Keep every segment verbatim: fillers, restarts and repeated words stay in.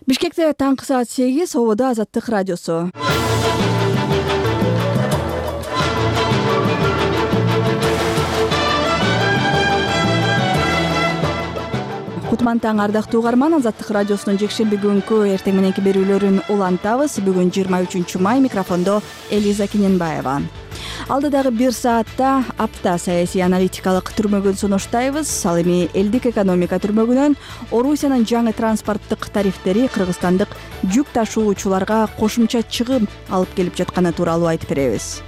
Бишкекте таңкы саат сегиз, Ободо Азаттык радиосу. Кутман таң, ардактуу угарман. Азаттык радиосунун жекшемби күнкү эртең мененки берүүлөрүн улантабыз. Бүгүн жыйырма үчүнчү май, микрофондо Элиза Кененбаева. Алдыдагы бир саатта апта саясий аналитикалык түрмөгүн сунуштайбыз. Ал эми элдик экономика түрмөгүнөн Орусиянын жаңы транспорттук тарифтери кыргызстандык жүк ташуучуларга кошумча чыгым алып келип жатканы тууралуу айтып беребиз.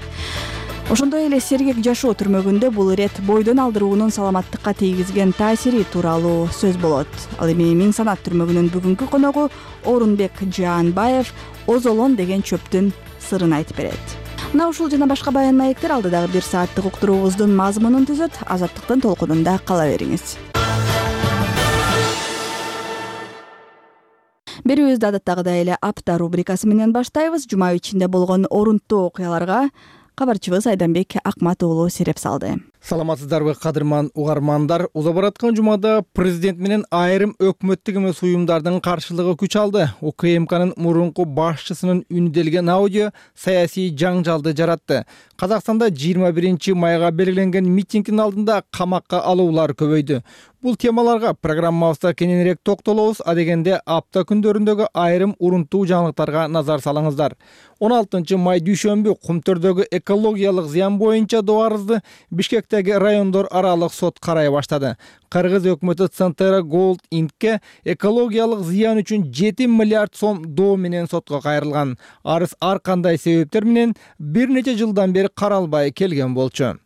Ошондой эле сергек жашоо түрмөгүндө бул ирет бойдон алдыруунун саламаттыкка тийгизген таасири тууралуу сөз болот. Ал эми Миң Санат түрмөгүнүн бүгүнкү коногу Орунбек Жаанбаев озолон деген чөптүн сырын айтып берет. Мына ушул жана башка баян маектер алдыдагы бир сааттык уктуруубуздун мазмунун түзөт. Азаттыктын толкунунда кала бериңиз. Берүүбүздү адаттагыдай эле апта рубрикасы менен баштайбыз. Жума ичинде болгон орунттуу окуяларга кабарчыбыз Айданбек Акмат уулу сереп салды. Саламатсыздарбы кадырман угармандар. Уза бараткан жумада президент менен айрым өкмөттүк эмес уюмдардын каршылыгы күч алды. УКМКнын мурунку башчысынын үнү делген аудио саясий жаңжалды жаратты. Казакстанда жыйырма биринчи майга белгиленген митингдин алдында камакка алуулар көбөйдү. Бул темаларга программабызда кененирээк токтолобуз. Адегенде апта күндөрүндөгү айрым урунттуу жаңылыктарга назар салыңыздар. он алтынчы май дүйшөмбү Кумтөрдөгү экологиялык зыян боюнча доо арызды Бишкектеги райондор аралык сот карай баштады. Кыргыз өкмөтү Центера Голд Инкке экологиялык зыян үчүн жети миллиард сом доо менен сотко кайрылган. Арыз ар кандай себептер менен бир нече жылдан бери каралбай келген болчу.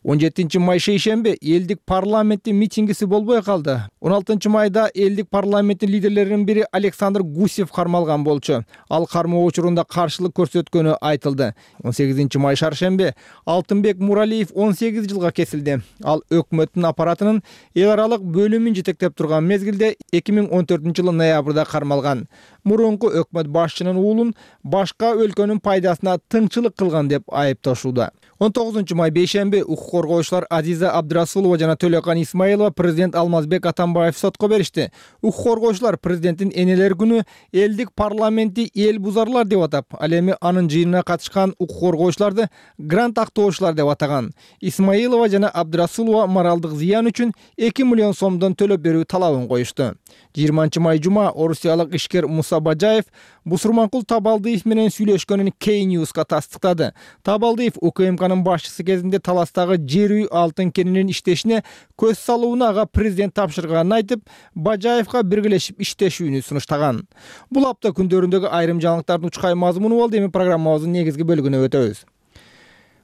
он жетинчи май шейшемби элдик парламенттин митингиси болбой калды. он алтынчы майда элдик парламенттин лидерлеринин бири Александр Гусев кармалган болчу. Ал кармоо учурунда каршылык көрсөткөнү айтылды. он сегизинчи май шаршемби Алтынбек Муралиев он сегиз жылга кесилди. Ал өкмөттүн аппаратынын эл аралык бөлүмүн жетектеп турган мезгилде эки миң он төртүнчү жылы ноябрда кармалган. Мурунку өкмөт башчынын уулун башка өлкөнүн пайдасына тыңчылык кылган деп айыпташууда. он тогузунчу май бейшемби укук коргоочулар Азиза Абдрасулова жана Төлөкан Исмаилова президент Алмазбек Атамбаев сотко беришти. Укук коргоочулар президенттин энелер күнү элдик парламентти эл бузарлар деп атап, ал эми анын жыйынына катышкан укук коргоочуларды грант актоочулар деп атаган. Исмаилова жана Абдрасулова моралдык зыян үчүн эки миллион сомдон төлөп берүү талабын коюшту. жыйырманчы май жума орусиялык ишкер Муса Бажаев Бусурманкул Табалдиев менен сүйлөшкөнүн Кей Ньюска тастыктады. Табалдиев УКМКнын башчысы кезинде таластагы жер үй алтын кенинин иштешине көз салууну ага президент тапшырганын айтып, Бажаевга биргелешип иштешүүнү сунуштаган. Бул апта күндөрүндөгү айрым жаңылыктардын учкай мазмуну болду. Эми программабыздын негизги бөлүгүнө өтөбүз.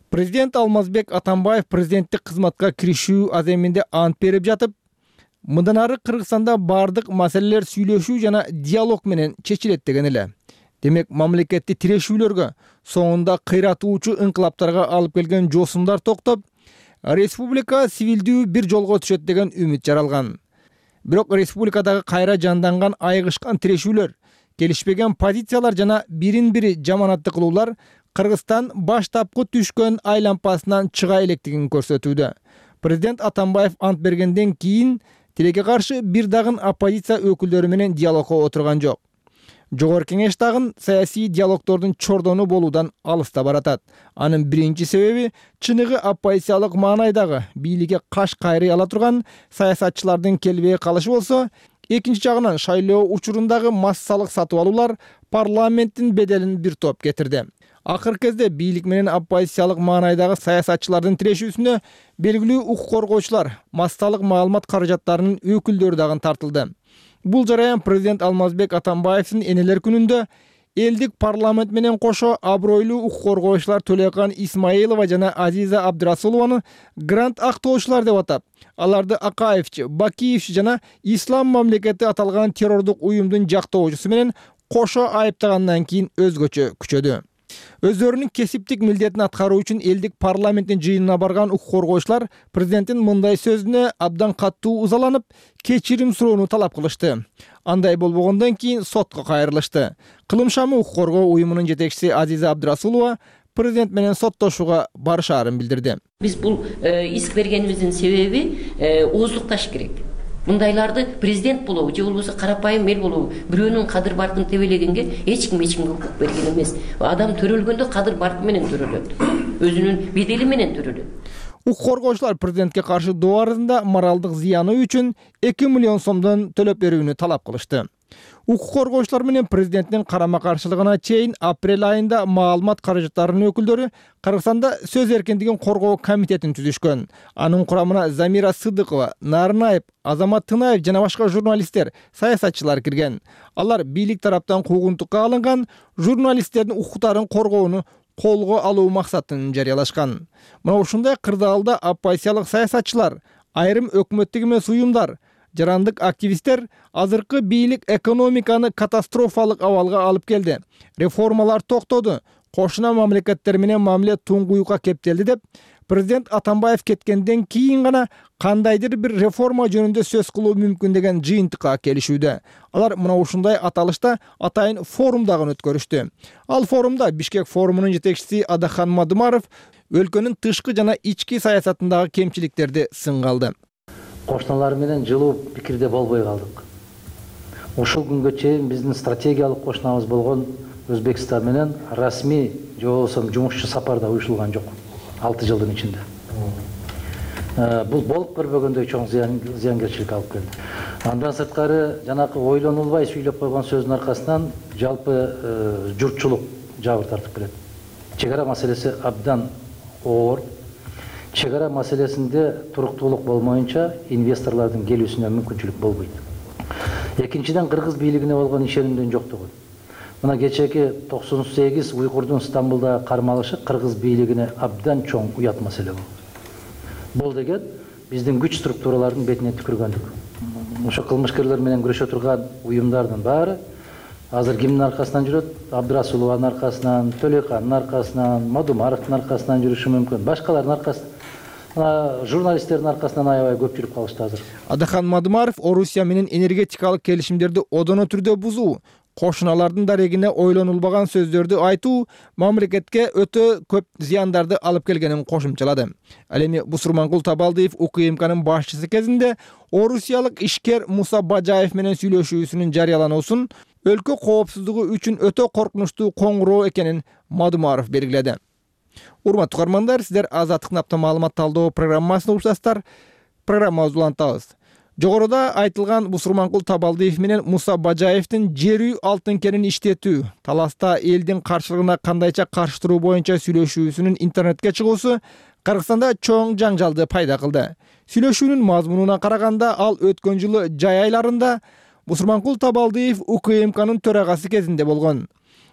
Президент Алмазбек Атамбаев президенттик кызматка киришүү аземинде ант берип жатып, мындан ары Кыргызстанда бардык маселелер сүйлөшүү жана диалог менен чечилет деген эле. Демек, мамлекетти тирешүүлөргө, соңунда кыйратуучу инкылаптарга алып келген жосумдар токтоп, республика сивилдүү бир жолго түшөт деген үмүт жаралган. Бирок республикадагы кайра жанданган айгышкан тирешүүлөр, келишпеген позициялар жана бирин-бири жаманатты кылуулар Кыргызстан баштапкы түшкөн айлампасынан чыга электигин көрсөтүүдө. Президент Атамбаев ант бергенден кийин тилекке каршы бир дагы оппозиция өкүлдөрү менен диалогко отурган жок. Жогорку кеңеш дагы саясий диалогдордун чордону болуудан алыста баратат. Анын биринчи себеби чыныгы оппозициялык маанайдагы бийликке каш кайрый ала турган саясатчылардын келбей калышы болсо, экинчи жагынан шайлоо учурундагы массалык сатып алуулар парламенттин беделин бир топ кетирди. Акыркы кезде бийлик менен оппозициялык маанайдагы саясатчылардын тирешүүсүнө белгилүү укук коргоочулар, массалык маалымат каражаттарынын өкүлдөрү дагы тартылды. Бул жараян президент Алмазбек Атамбаевдин энелер күнүндө элдик парламент менен кошо абройлуу укук коргоочулар Төлөкан Исмаилова жана Азиза Абдрасулованы грант актоочулар деп атап, аларды Акаевчи, Бакиевчи жана Ислам мамлекети аталган террордук уюмдун жактоочусу менен кошо айыптагандан кийин өзгөчө күчөдү. Өздөрүнүн кесиптик милдетин аткаруу үчүн элдик парламенттин жыйынына барган укук коргоочулар президенттин мындай сөзүнө абдан катуу ызаланып, кечирим суроону талап кылышты. Андай болбогондон кийин сотко кайрылышты. Кылым шамы укук коргоо уюмунун жетекчиси Азиза Абдрасулова президент менен соттошууга барышаарын билдирди. Биз бул иск бергенибиздин себеби ооздукташ керек. Мындайларды президент болобу же болбосо карапайым эл болобу бирөөнүн кадыр баркын тебелегенге эч ким эч кимге укук берген эмес. Адам төрөлгөндө кадыр баркы менен төрөлөт, өзүнүн бедели менен төрөлөт. Укук коргоочулар президентке каршы доо арызында моралдык зыяны үчүн эки миллион сомдон төлөп берүүнү талап кылышты. Укук коргоочулар менен президенттин карама каршылыгына чейин апрель айында маалымат каражаттарынын өкүлдөрү Кыргызстанда сөз эркиндигин коргоо комитетин түзүшкөн. Анын курамына Замира Сыдыкова, Нарынаев, Азамат Тынаев жана башка журналисттер, саясатчылар кирген. Алар бийлик тараптан куугунтукка алынган журналисттердин укуктарын коргоону колго алуу максатын жарыялашкан. Мына ушундай кырдаалда оппозициялык саясатчылар, айрым өкмөттүк эмес уюмдар, жарандык активисттер азыркы бийлик экономиканы катастрофалык абалга алып келди. Реформалар токтоду, кошуна мамлекеттер менен мамиле туңгуюкка кептелди деп президент Атамбаев кеткенден кийин гана кандайдыр бир реформа жөнүндө сөз кылуу мүмкүн деген жыйынтыкка келишүүдө. Алар мына ушундай аталышта атайын форум дагы өткөрүштү. Ал форумда Бишкек форумунун жетекчиси Адахан Мадымаров өлкөнүн тышкы жана ички саясатындагы кемчиликтерди сынга алды. Кошуналар менен жылуу пикирде болбой калдык. Ушул күнгө чейин биздин стратегиялык кошунабыз болгон Өзбекстан менен расмий же болбосо жумушчу сапарда уюшулган жок. алты жылдын ичинде. Бул болуп көрбөгөндөй чоң зыянгерчилик алып келди. Андан сырткары жанакы ойлонулбай сүйлөп койгон сөздүн аркасынан жалпы журтчулук жабыр тартып келет. Чегара маселеси абдан оор. Чегара маселесинде туруктуулук болмоюнча инвесторлордун келүүсүнө мүмкүнчүлүк болбойт. Экинчиден, кыргыз бийлигине болгон ишенимдин жоктугу. Мына кечеки токсон сегиз уйгурдун Стамбулда кармалышы кыргыз бийлигине абдан чоң уят маселе болду. Бул деген биздин күч структуралардын бетине түкүргөндүк. Ошо кылмышкерлер менен күрөшө турган уюмдардын баары азыр кимдин аркасынан жүрөт? Абдрасулованын аркасынан, Төлөйкандын аркасынан, Мадумаровдун аркасынан жүрүшү мүмкүн. Башкалардын аркасынан, журналисттердин аркасынан аябай көп жүрүп калышты азыр. Адахан Мадымаров Орусия менен энергетикалык келишимдерди одоно түрдө бузуу, кошуналардын дарегине ойлонулбаган сөздөрдү айтуу мамлекетке өтө көп зыяндарды алып келгенин кошумчалады. Ал эми Бусурманкул Табалдиев УКМКнын башчысы кезинде орусиялык ишкер Муса Бажаев менен сүйлөшүүсүнүн жарыялануусун өлкө коопсуздугу үчүн өтө коркунучтуу коңгуроо экенин Мадымаров белгиледи. Урматтуу угармандар, сиздер Азаттыктын апта маалымат талдоо программасына уктасыздар. Программабызды улантабыз. Жогоруда айтылган Бусурманкул Табалдиев менен Муса Бажаевдин жер үй алтын кенин иштетүү, таласта элдин каршылыгына кандайча каршы туруу боюнча сүйлөшүүсүнүн интернетке чыгуусу Кыргызстанда чоң жаңжалды пайда кылды. Сүйлөшүүнүн мазмунуна караганда, ал өткөн жылы жай айларында Бусурманкул Табалдиев УКМКнын төрагасы кезинде болгон.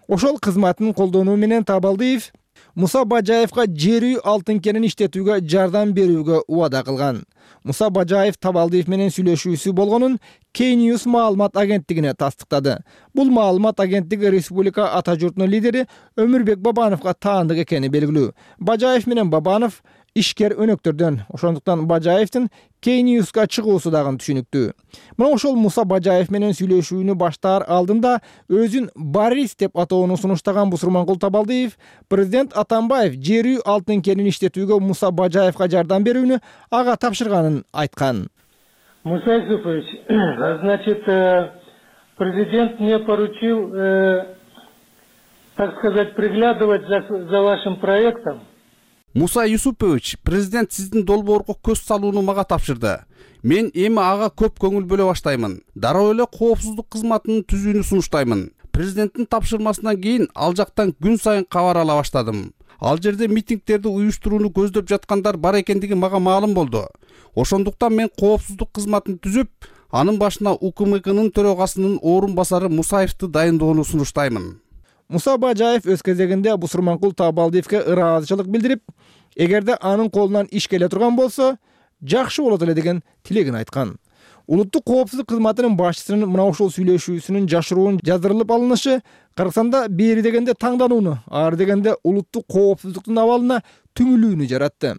Ошол кызматын колдонуу менен Табалдиев Муса Бажаевга жер үй алтын кенин иштетүүгө жардам берүүгө убада кылган. Муса Бажаев Табалдиев менен сүйлөшүүсү болгонун Кей Ньюс маалымат агенттигине тастыктады. Бул маалымат агенттиги республика ата журтунун лидери Өмүрбек Бабановго таандык экени белгилүү. Бажаев менен Бабанов ишкер өнөктөрдөн, ошондуктан Бажаевдин Кей Ньюска чыгуусу дагы түшүнүктүү. Мына ошол Муса Бажаев менен сүйлөшүүнү баштаар алдында өзүн Борис деп атоону сунуштаган Бусурманкул Табалдиев президент Атамбаев жер үй алтын кенин иштетүүгө Муса Бажаевга жардам берүүнү ага тапшырганын айткан. Муса Юсупович, значит, президент мне поручил, так сказать, приглядывать за, за вашим проектом. Муса Юсупович, президент сиздин долбоорго көз салууну мага тапшырды. Мен эми ага көп көңүл бөлө баштаймын. Дароо эле коопсуздук кызматынын түзүүнү сунуштаймын. Президенттин тапшырмасынан кийин ал жактан күн сайын кабар ала баштадым. Ал жерде митингдерди уюштурууну көздөп жаткандар бар экендиги мага маалым болду. Ошондуктан мен коопсуздук кызматын түзүп, анын башына УКМКнын төрагасынын орун басары Мусаевди дайындоону сунуштаймын. Муса Бажаев өз кезегинде Бусурманкул Табалдиевге ыраазычылык билдирип, эгерде анын колунан иш келе турган болсо, жакшы болот эле деген тилегин айткан. Улуттук коопсуздук кызматынын башчысынын мына ушул сүйлөшүүсүнүн жашыруун жаздырылып алынышы Кыргызстанда бери дегенде таңданууну, ары дегенде улуттук коопсуздуктун абалына түңүлүүнү жаратты.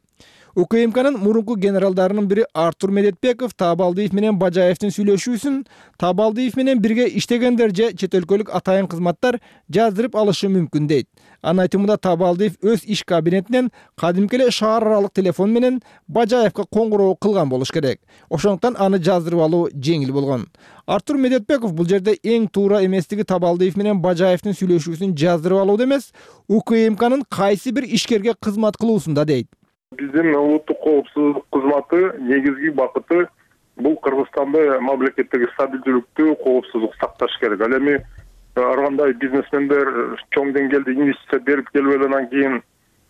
УКМКнын мурунку генералдарынын бири Артур Медетбеков Табалдиев менен Бажаевдин сүйлөшүүсүн Табалдиев менен бирге иштегендер же чет өлкөлүк атайын кызматтар жаздырып алышы мүмкүн дейт. Анын айтымында Табалдиев өз иш кабинетинен кадимки эле шаар аралык телефон менен Бажаевга коңгуроо кылган болуш керек. Ошондуктан аны жаздырып алуу жеңил болгон. Артур Медетбеков бул жерде эң туура эместиги Табалдиев менен Бажаевдин сүйлөшүүсүн жаздырып алууда эмес, УКМКнын кайсы бир ишкерге кызмат кылуусунда дейт. Биздин улуттук коопсуздук кызматы негизги бакыты бул Кыргызстанда мамлекеттеги стабилдүүлүктү, коопсуздук сакташ керек. Ал эми ар кандай бизнесмендер чоң деңгээлде инвестиция берип келип анан кийин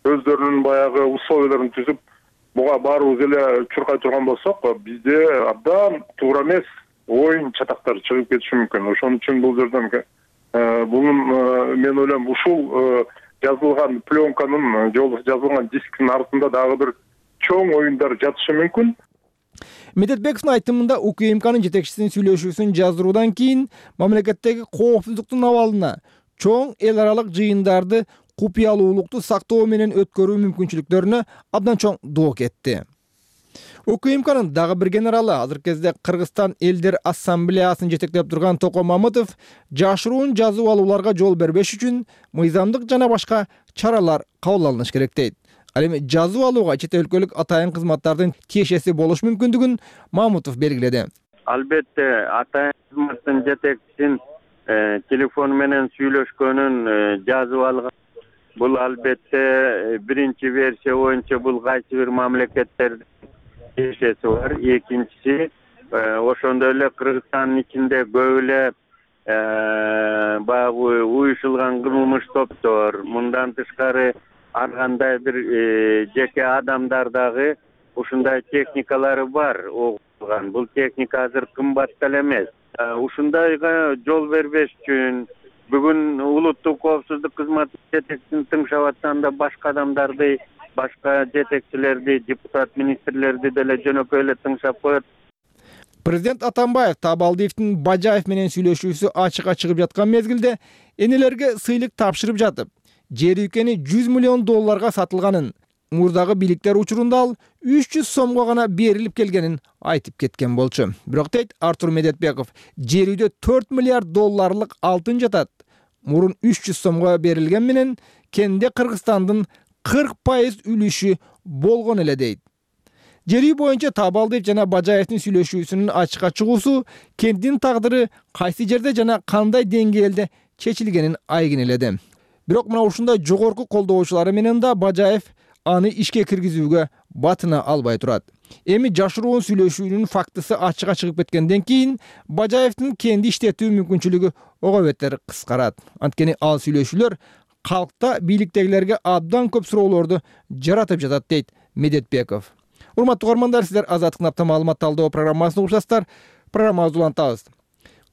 өздөрүнүн баягы условияларын түзүп, буга баарыбыз эле чуркай турган болсок, бизде абдан туура эмес оюн чатактар чыгып кетиши мүмкүн. Ошон үчүн бул жерден бунун мен ойлойм ушул жазылган пленканын же болбосо жазылган дисктин артында дагы бир чоң оюндар жатышы мүмкүн. Медетбековдун айтымында УКМКнын жетекчисинин сүйлөшүүсүн жаздыруудан кийин мамлекеттеги коопсуздуктун абалына чоң эл аралык жыйындарды купуялуулукту сактоо менен өткөрүү мүмкүнчүлүктөрүнө абдан чоң доо кетти. УКМКнын дагы бир генералы азыркы кезде Кыргызстан элдер ассамблеясын жетектеп турган Токо Мамытов жашыруун жазып алууларга жол бербеш үчүн мыйзамдык жана башка чаралар кабыл алыныш керек дейт. Ал эми жазып алууга чет өлкөлүк атайын кызматтардын тиешеси болуш мүмкүндүгүн Мамутов белгиледи. Албетте атайын кызматтын жетекчисин телефон менен сүйлөшкөнүн жазып алган. Бул албетте биринчи версия боюнча бул кайсы бир мамлекеттердин тиешеси бар. Экинчиси ошондой эле Кыргызстандын ичинде көп эле баягы уюшулган кылмыш топтор, мындан тышкары ар кандай бир жеке адамдар дагы ушундай техникалары бар огулган. Бул техника азыр кымбат деле эмес. Ушундайга жол бербеш үчүн бүгүн улуттук коопсуздук кызматы жетекчисин тыңшап атканда башка адамдарды, башка жетекчилерди, депутат, министрлерди деле жөнөкөй эле тыңшап коет. Президент Атамбаев Табалдиевдин Бажаев менен сүйлөшүүсү ачыкка чыгып жаткан мезгилде энелерге сыйлык тапшырып жатып, жер үйкени жүз миллион долларга сатылганын, мурдагы бийликтер учурунда ал үч жүз сомго гана берилип келгенин айтып кеткен болчу. Бирок дейт Артур Медетбеков, жер үйдө төрт миллиард долларлык алтын жатат. Мурун үч жүз сомго берилген менен кенде Кыргызстандын кырк пайыз үлүшү болгон эле дейт. Жер үй боюнча Табалдиев жана Бажаевдин сүйлөшүүсүнүн ачыкка чыгуусу кенттин тагдыры кайсы жерде жана кандай деңгээлде чечилгенин айгинеледи. Бирок мына ушундай жогорку колдоочулары менен да Бажаев аны ишке киргизүүгө батына албай турат. Эми жашыруун сүйлөшүүнүн фактысы ачыкка чыгып кеткенден кийин Бажаевдин кенди иштетүү мүмкүнчүлүгү ого бетер кыскарат. Анткени ал сүйлөшүүлөр калкта бийликтегилерге абдан көп суроолорду жаратып жатат дейт Медетбеков. Урматтуу угармандар, сиздер Азаттыктын апта маалымат талдоо программасын угушасыздар. Программабызды улантабыз.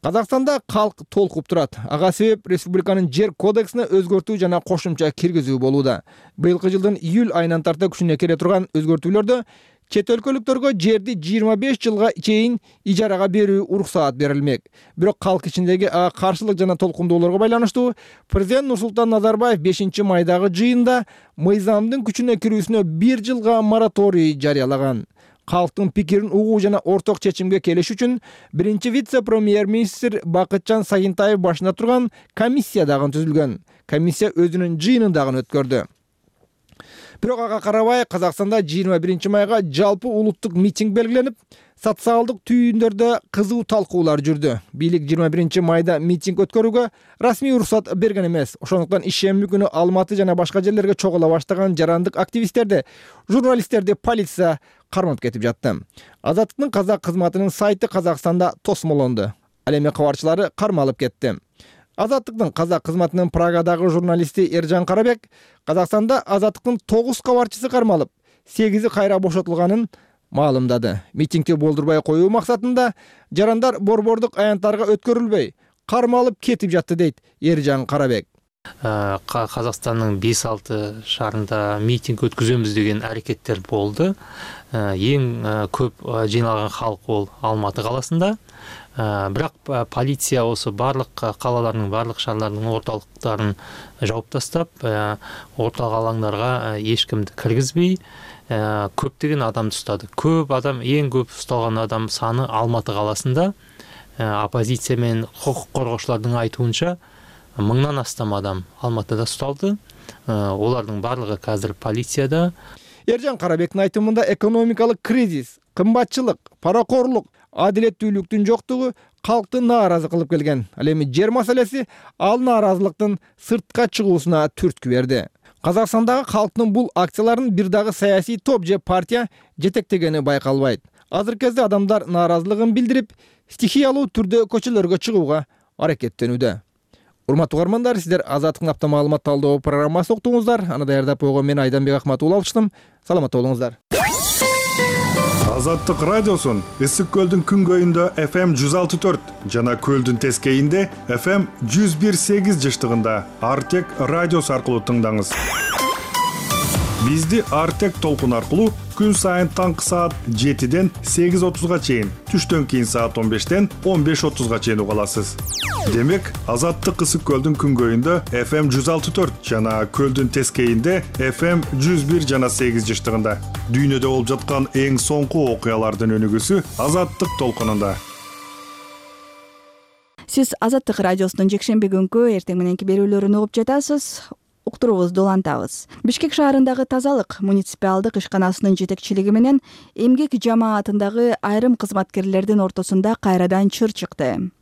Казакстанда калк толкуп турат. Ага себеп республиканын жер кодексине өзгөртүү жана кошумча киргизүү болууда. Быйылкы жылдын июль айынан тарта күчүнө кире турган өзгөртүүлөрдө чет өлкөлүктөргө жерди жыйырма беш жылга чейин ижарага берүү уруксаат берилмек. Бирок калк ичиндеги ага каршылык жана толкундоолорго байланыштуу президент Нурсултан Назарбаев бешинчи майдагы жыйында мыйзамдын күчүнө кирүүсүнө бир жылга мораторий жарыялаган. Калктын пикирин угуу жана орток чечимге келиш үчүн биринчи вице-премьер-министр Бакытжан Сагынтаев башында турган комиссия дагы түзүлгөн. Комиссия өзүнүн жыйынын дагы өткөрдү. Бирок ага карабай Казакстанда жыйырма биринчи майга жалпы улуттук митинг белгиленип, социалдык түйүндөрдө кызуу талкуулар жүрдү. Бийлик жыйырма биринчи майда митинг өткөрүүгө расмий уруксат берген эмес. Ошондуктан ишемби күнү Алматы жана башка жерлерге чогула баштаган жарандык активисттерди, журналисттерди полиция кармап кетип жатты. Азаттыктын казак кызматынын сайты Казакстанда тосмолонду. Ал эми кабарчылары кармалып кетти. Азаттыктын казак кызматынын Прагадагы журналисти Эржан Карабек Казакстанда Азаттыктын тогуз кабарчысы кармалып, сегизи кайра бошотулганын маалымдады. Митингди болдурбай коюу максатында жарандар борбордук аянттарга өткөрүлбөй, кармалып кетип жатты дейт Эржан Карабек. Казакстандын беш алты шаарында митинг өткүзөмүз деген аракеттер болду. Эң көп жыйналган халк ол Алматы каласында. Бирок полиция осы барлык калалардын, барлык шаарлардын орталыктарын жауып тастап, орталык алаңдарга эч кимди киргизбей, көптөгөн адамды устады. Көп адам, эң көп ушталган адам саны Алматы каласында. Оппозиция менен хукук коргоочулардын айтуунча мыңдан астам адам Алматыда ушталды. Олардын барлыгы азыр полицияда. Эржан Карабектин айтымында экономикалык кризис, кымбатчылык, паракорлук, адилеттүүлүктүн жоктугу калкты нааразы кылып келген. Ал эми жер маселеси ал нааразылыктын сыртка чыгуусуна түрткү берди. Казакстандагы калктын бул акцияларын бир дагы саясий топ же партия жетектегени байкалбайт. Азыркы кезде адамдар нааразылыгын билдирип, стихиялуу түрдө көчөлөргө чыгууга аракеттенүүдө. Урматтуу угармандар, сиздер Азаттыктын апта маалымат талдоо программасын уктуңуздар. Аны даярдап койгон мен Айданбек Акматов алыштым. Саламатта болуңуздар. Азаттык радиосун Ысык көлдүн күнгөйүндө эф эм жүз алты төрт жана көлдүн тескейинде эф эм жүз бир сегиз жыштыгында Артек радиосу аркылуу тыңдаңыз. Бизди Артек толкун аркылуу күн сайын таңкы саат жетиден сегиз отузга чейин, түштөн кийин саат он бештен он беш отузга чейин уга аласыз. Демек, Азаттык Ысык көлдүн күнгөйүндө эф эм жүз алты төрт жана көлдүн тескейинде эф эм жүз бир жана сегиз жыштыгында. Дүйнөдө болуп жаткан эң соңку окуялардын өнүгүүсү Азаттык толкунунда. Сиз Азаттык радиосунун жекшемби күнкү эртең мененки берүүлөрүн угуп жатасыз. Уктуруубузду улантабыз. Бишкек шаарындагы тазалык муниципалдык ишканасынын жетекчилиги менен эмгек жамаатындагы айрым кызматкерлердин ортосунда кайрадан чыр чыкты.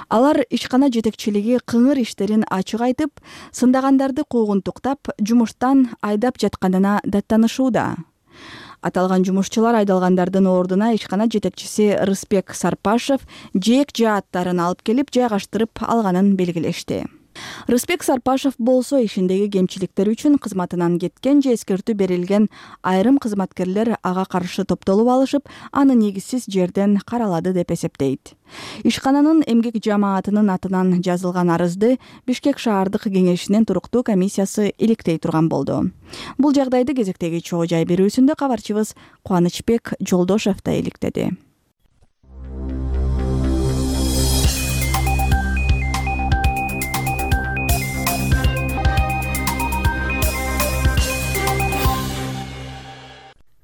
Алар ишкана жетекчилиги кыңыр иштерин ачык айтып, сындагандарды куугунтуктап, жумуштан айдап жатканына даттанышууда. Аталган жумушчулар айдалгандардын ордуна ишкана жетекчиси Рыспек Сарпашев жээк жааттарын алып келип жайгаштырып алганын белгилешти. Рыспек Сарпашев болсо ишиндеги кемчиликтер үчүн кызматынан кеткен же эскертүү берилген айрым кызматкерлер ага каршы топтолуп алышып, аны негизсиз жерден каралады деп эсептейт. Ишкананын эмгек жамаатынын атынан жазылган арызды Бишкек шаардык кеңешинин туруктуу комиссиясы иликтей турган болду. Бул жагдайды кезектеги чогуу жай берүүсүндө кабарчыбыз Кубанычбек Жолдошев да иликтеди.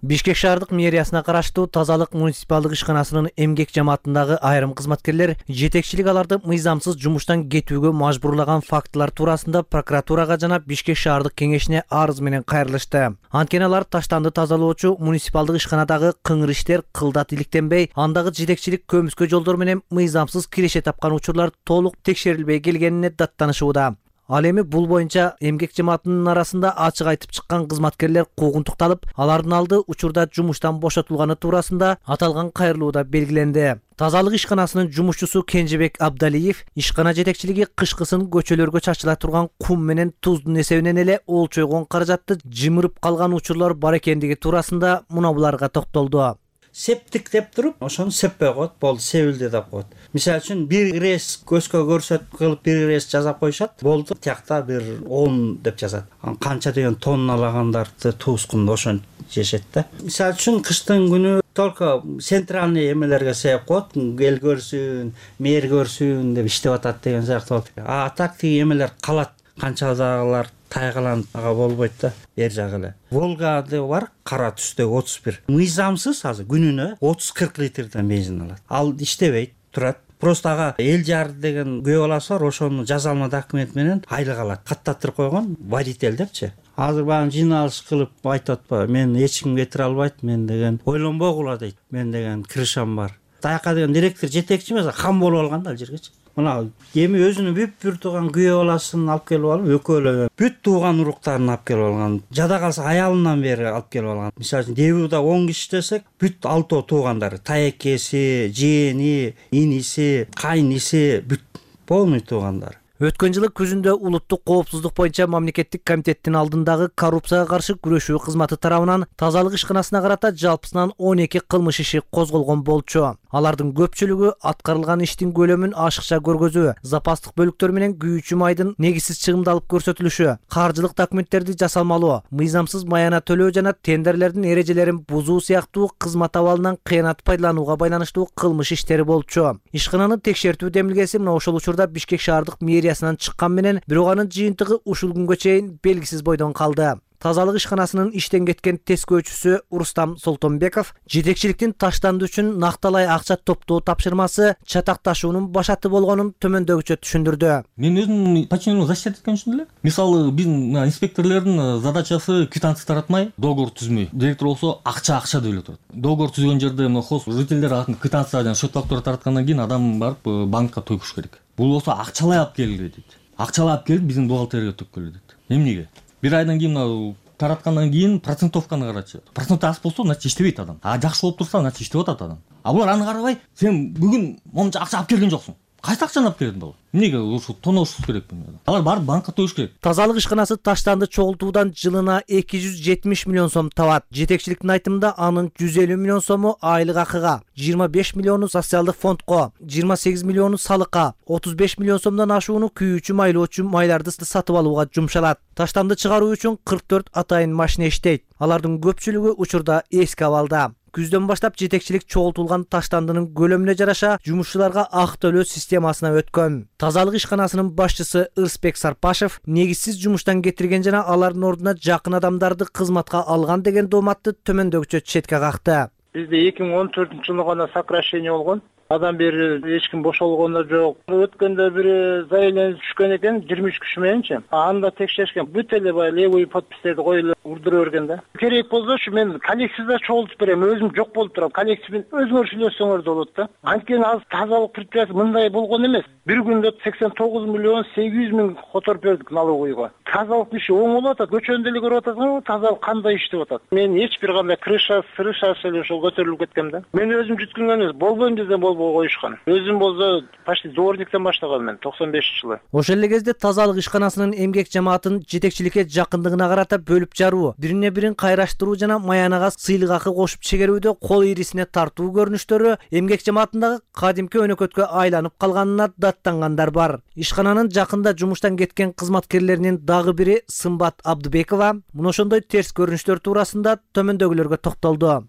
Бишкек шаардык мэриясына караштуу тазалык муниципалдык ишканасынын эмгек жамаатындагы айрым кызматкерлер жетекчилик аларды мыйзамсыз жумуштан кетүүгө мажбурлаган фактылар туурасында прокуратурага жана Бишкек шаардык кеңешине арыз менен кайрылышты. Анткени алар таштанды тазалоочу муниципалдык ишканадагы кыңыр иштер кылдат иликтенбей, андагы жетекчилик көмүскө жолдор менен мыйзамсыз киреше тапкан учурлар толук текшерилбей келгенине даттанышууда. Ал эми бул боюнча эмгек жамаатынын арасында ачык айтып чыккан кызматкерлер куугунтукталып, алардын алды учурда жумуштан бошотулганы туурасында аталган кайрылууда белгиленди. Тазалык ишканасынын жумушчусу Кенжебек Абдалиев ишкана жетекчилиги кышкысын көчөлөргө чачыла турган кум менен туздун эсебинен эле олчойгон каражатты жымырып калган учурлар бар экендиги туурасында мына буларга токтолду. Септик деп туруп, ошону сеппей коет, болду, себилди деп коет. Мисалы үчүн бир ирес көзгө көрсөтүп кылып бир ирес жазап коюшат, болду, тиякта бир он деп жазат. Канча деген тонналагандарды туускунду ошон жешет да. Мисалы үчүн кыштын күнү только центральный эмелерге себеп коет, эл көрсүн, мэр көрсүн деп иштеп атат деген сыяктуу. А так тиги эмелер калат, канчадагылар тайгаланып ага болбойт да, бер жагы эле. Волгада бар, кара түстөгү отуз бир. Мыйзамсыз азыр күнүнө отуз кырк литрден бензин алат. Ал иштебейт, турат. Просто ага эл жар деген күйөө баласы бар, ошону жаза алма документ менен айлык алат. Каттаттырып койгон водитель депчи. Азыр баягы жыйналыш кылып айтып атпайбы, мен эч ким кетире албайт, мен деген ойлонбогула дейт. Мен деген крышам бар. Таяка деген директор жетекчи эмес, хам болуп алган да ал жергечи. Мына эми өзүнүн бүт бир тууган күйөө баласын алып келип алып, экөөлөгөн бүт тууган уруктарын алып келип алган. Жада калса аялынан бери алып келип алган. Мисалы үчүн Дебуда он киши десек, бүт алтоо туугандары, тайекеси, жээни, иниси, кайниси, бүт полный туугандары. Өткөн жылы күзүндө улуттук коопсуздук боюнча мамлекеттик комитеттин алдындагы коррупцияга каршы күрөшүү кызматы тарабынан тазалык ишканасына карата жалпысынан он эки кылмыш иши козголгон болчу. Алардын көпчүлүгү аткарылган иштин көлөмүн ашыкча көргөзүү, запастык бөлүктөр менен күйүүчү майдын негизсиз чыгымдалып көрсөтүлүшү, каржылык документтерди жасалмалоо, мыйзамсыз маяна төлөө жана тендерлердин эрежелерин бузуу сыяктуу кызмат абалынан кыянат пайдаланууга байланыштуу кылмыш иштери болчу. Ишкананын текшертүү демилгеси мына ошол учурда Бишкек шаардык мэриясынан чыккан менен, бирок анын жыйынтыгы ушул күнгө чейин белгисиз бойдон калды. тазалык ишканасынын иштен кеткен тескөөчүсү Рустам Солтонбеков жетекчиликтин таштанды үчүн накталай акча топтоо тапшырмасы чатакташуунун башаты болгонун төмөндөгүчө түшүндүрдү. Мен өзүм подчиненный защищать эткөн үчүн эле. Мисалы биздин инспекторлордун задачасы квитанция таратмай, договор түзмөй. Директор болсо акча акча деп эле турат. Договор түзгөн жерде мына хоз жителдер квитанция жана счет фактура тараткандан кийин адам барып банкка төгүш керек. Бул болсо акчалай алып келгиле дейт. Акчалай алып келип биздин бухгалтерияга төккөлө дейт. Эмнеге? Бир айдан кийин мына тараткандан кийин процентовканы карачы. Процент аз болсо, значит иштебейт адам. А жакшы болуп турса, значит иштеп атат адам. А булар аны карабай, сен бүгүн момунча акча алып келген жоксуң. Кайсы акчаны алып келдиң бала? Эмнеге ушу тоноошсуз керекпи? Алар барып банкка төйүш керек. Тазалык ишканасы таштанды чогултуудан жылына эки жүз жетимиш миллион сом табат. Жетекчиликтин айтымында анын жүз элүү миллион сому айлык акыга, жыйырма беш миллиону социалдык фондко, жыйырма сегиз миллиону салыкка, отуз беш миллион сомдон ашууну күйүүчү майлоочу майларды сатып алууга жумшалат. Таштанды чыгаруу үчүн кырк төрт атайын машина иштейт. Алардын көпчүлүгү учурда эски абалда. Күздөн баштап жетекчилик чогултулган таштандынын көлөмүнө жараша жумушчуларга ак төлөө системасына өткөн. Тазалык ишканасынын башчысы Ырысбек Сарпашев негизсиз жумуштан кетирген жана алардын ордуна жакын адамдарды кызматка алган деген дооматты төмөндөгүчө четке какты. Бизде эки миң он төртүнчү жылы гана сокращение болгон. Адам бери эч ким бошолгон да жок. Өткөндө бир заявление түшкөн экен жыйырма үч киши мененчи. Анда текшеришкен. Бүт эле баягы левый подпистерди коюп урдура берген да. Керек болсо ушу мен коллекцияда чогултуп берем. Өзүм жок болуп турам. Коллекциямен өзүңөр сүйлөшсөңөр да болот да. Анткени азыр тазалык предприятие мындай болгон эмес. Бир күндө сексен тогуз миллион сегиз жүз миң которуп бердик налоговыйга. Тазалык иши оң болуп атат. Көчөндө эле көрүп атасыңар, тазалык кандай иштеп атат. Мен эч бир кандай крыша, сырыша эле ошол көтөрүлүп кеткем да. Мен өзүм жүткөнгөн эмес, болбойм десем болбой коюшкан. Өзүм болсо почти дворниктен баштагам мен токсон бешинчи жылы. Ошол эле кезде тазалык ишканасынын эмгек жамаатын жетекчиликке жакындыгына карата бөлүп жаруу, бирине бирин кайраштыруу жана маянага сыйлык акы кошуп чегерүүдө кол ирисине тартуу көрүнүштөрү эмгек жамаатындагы кадимки өнөкөткө айланып калганына даттангандар бар. Ишкананын жакында жумуштан кеткен кызматкерлеринин дагы бири Сымбат Абдыбекова мына ошондой терс көрүнүштөр туурасында төмөндөгүлөргө токтолду.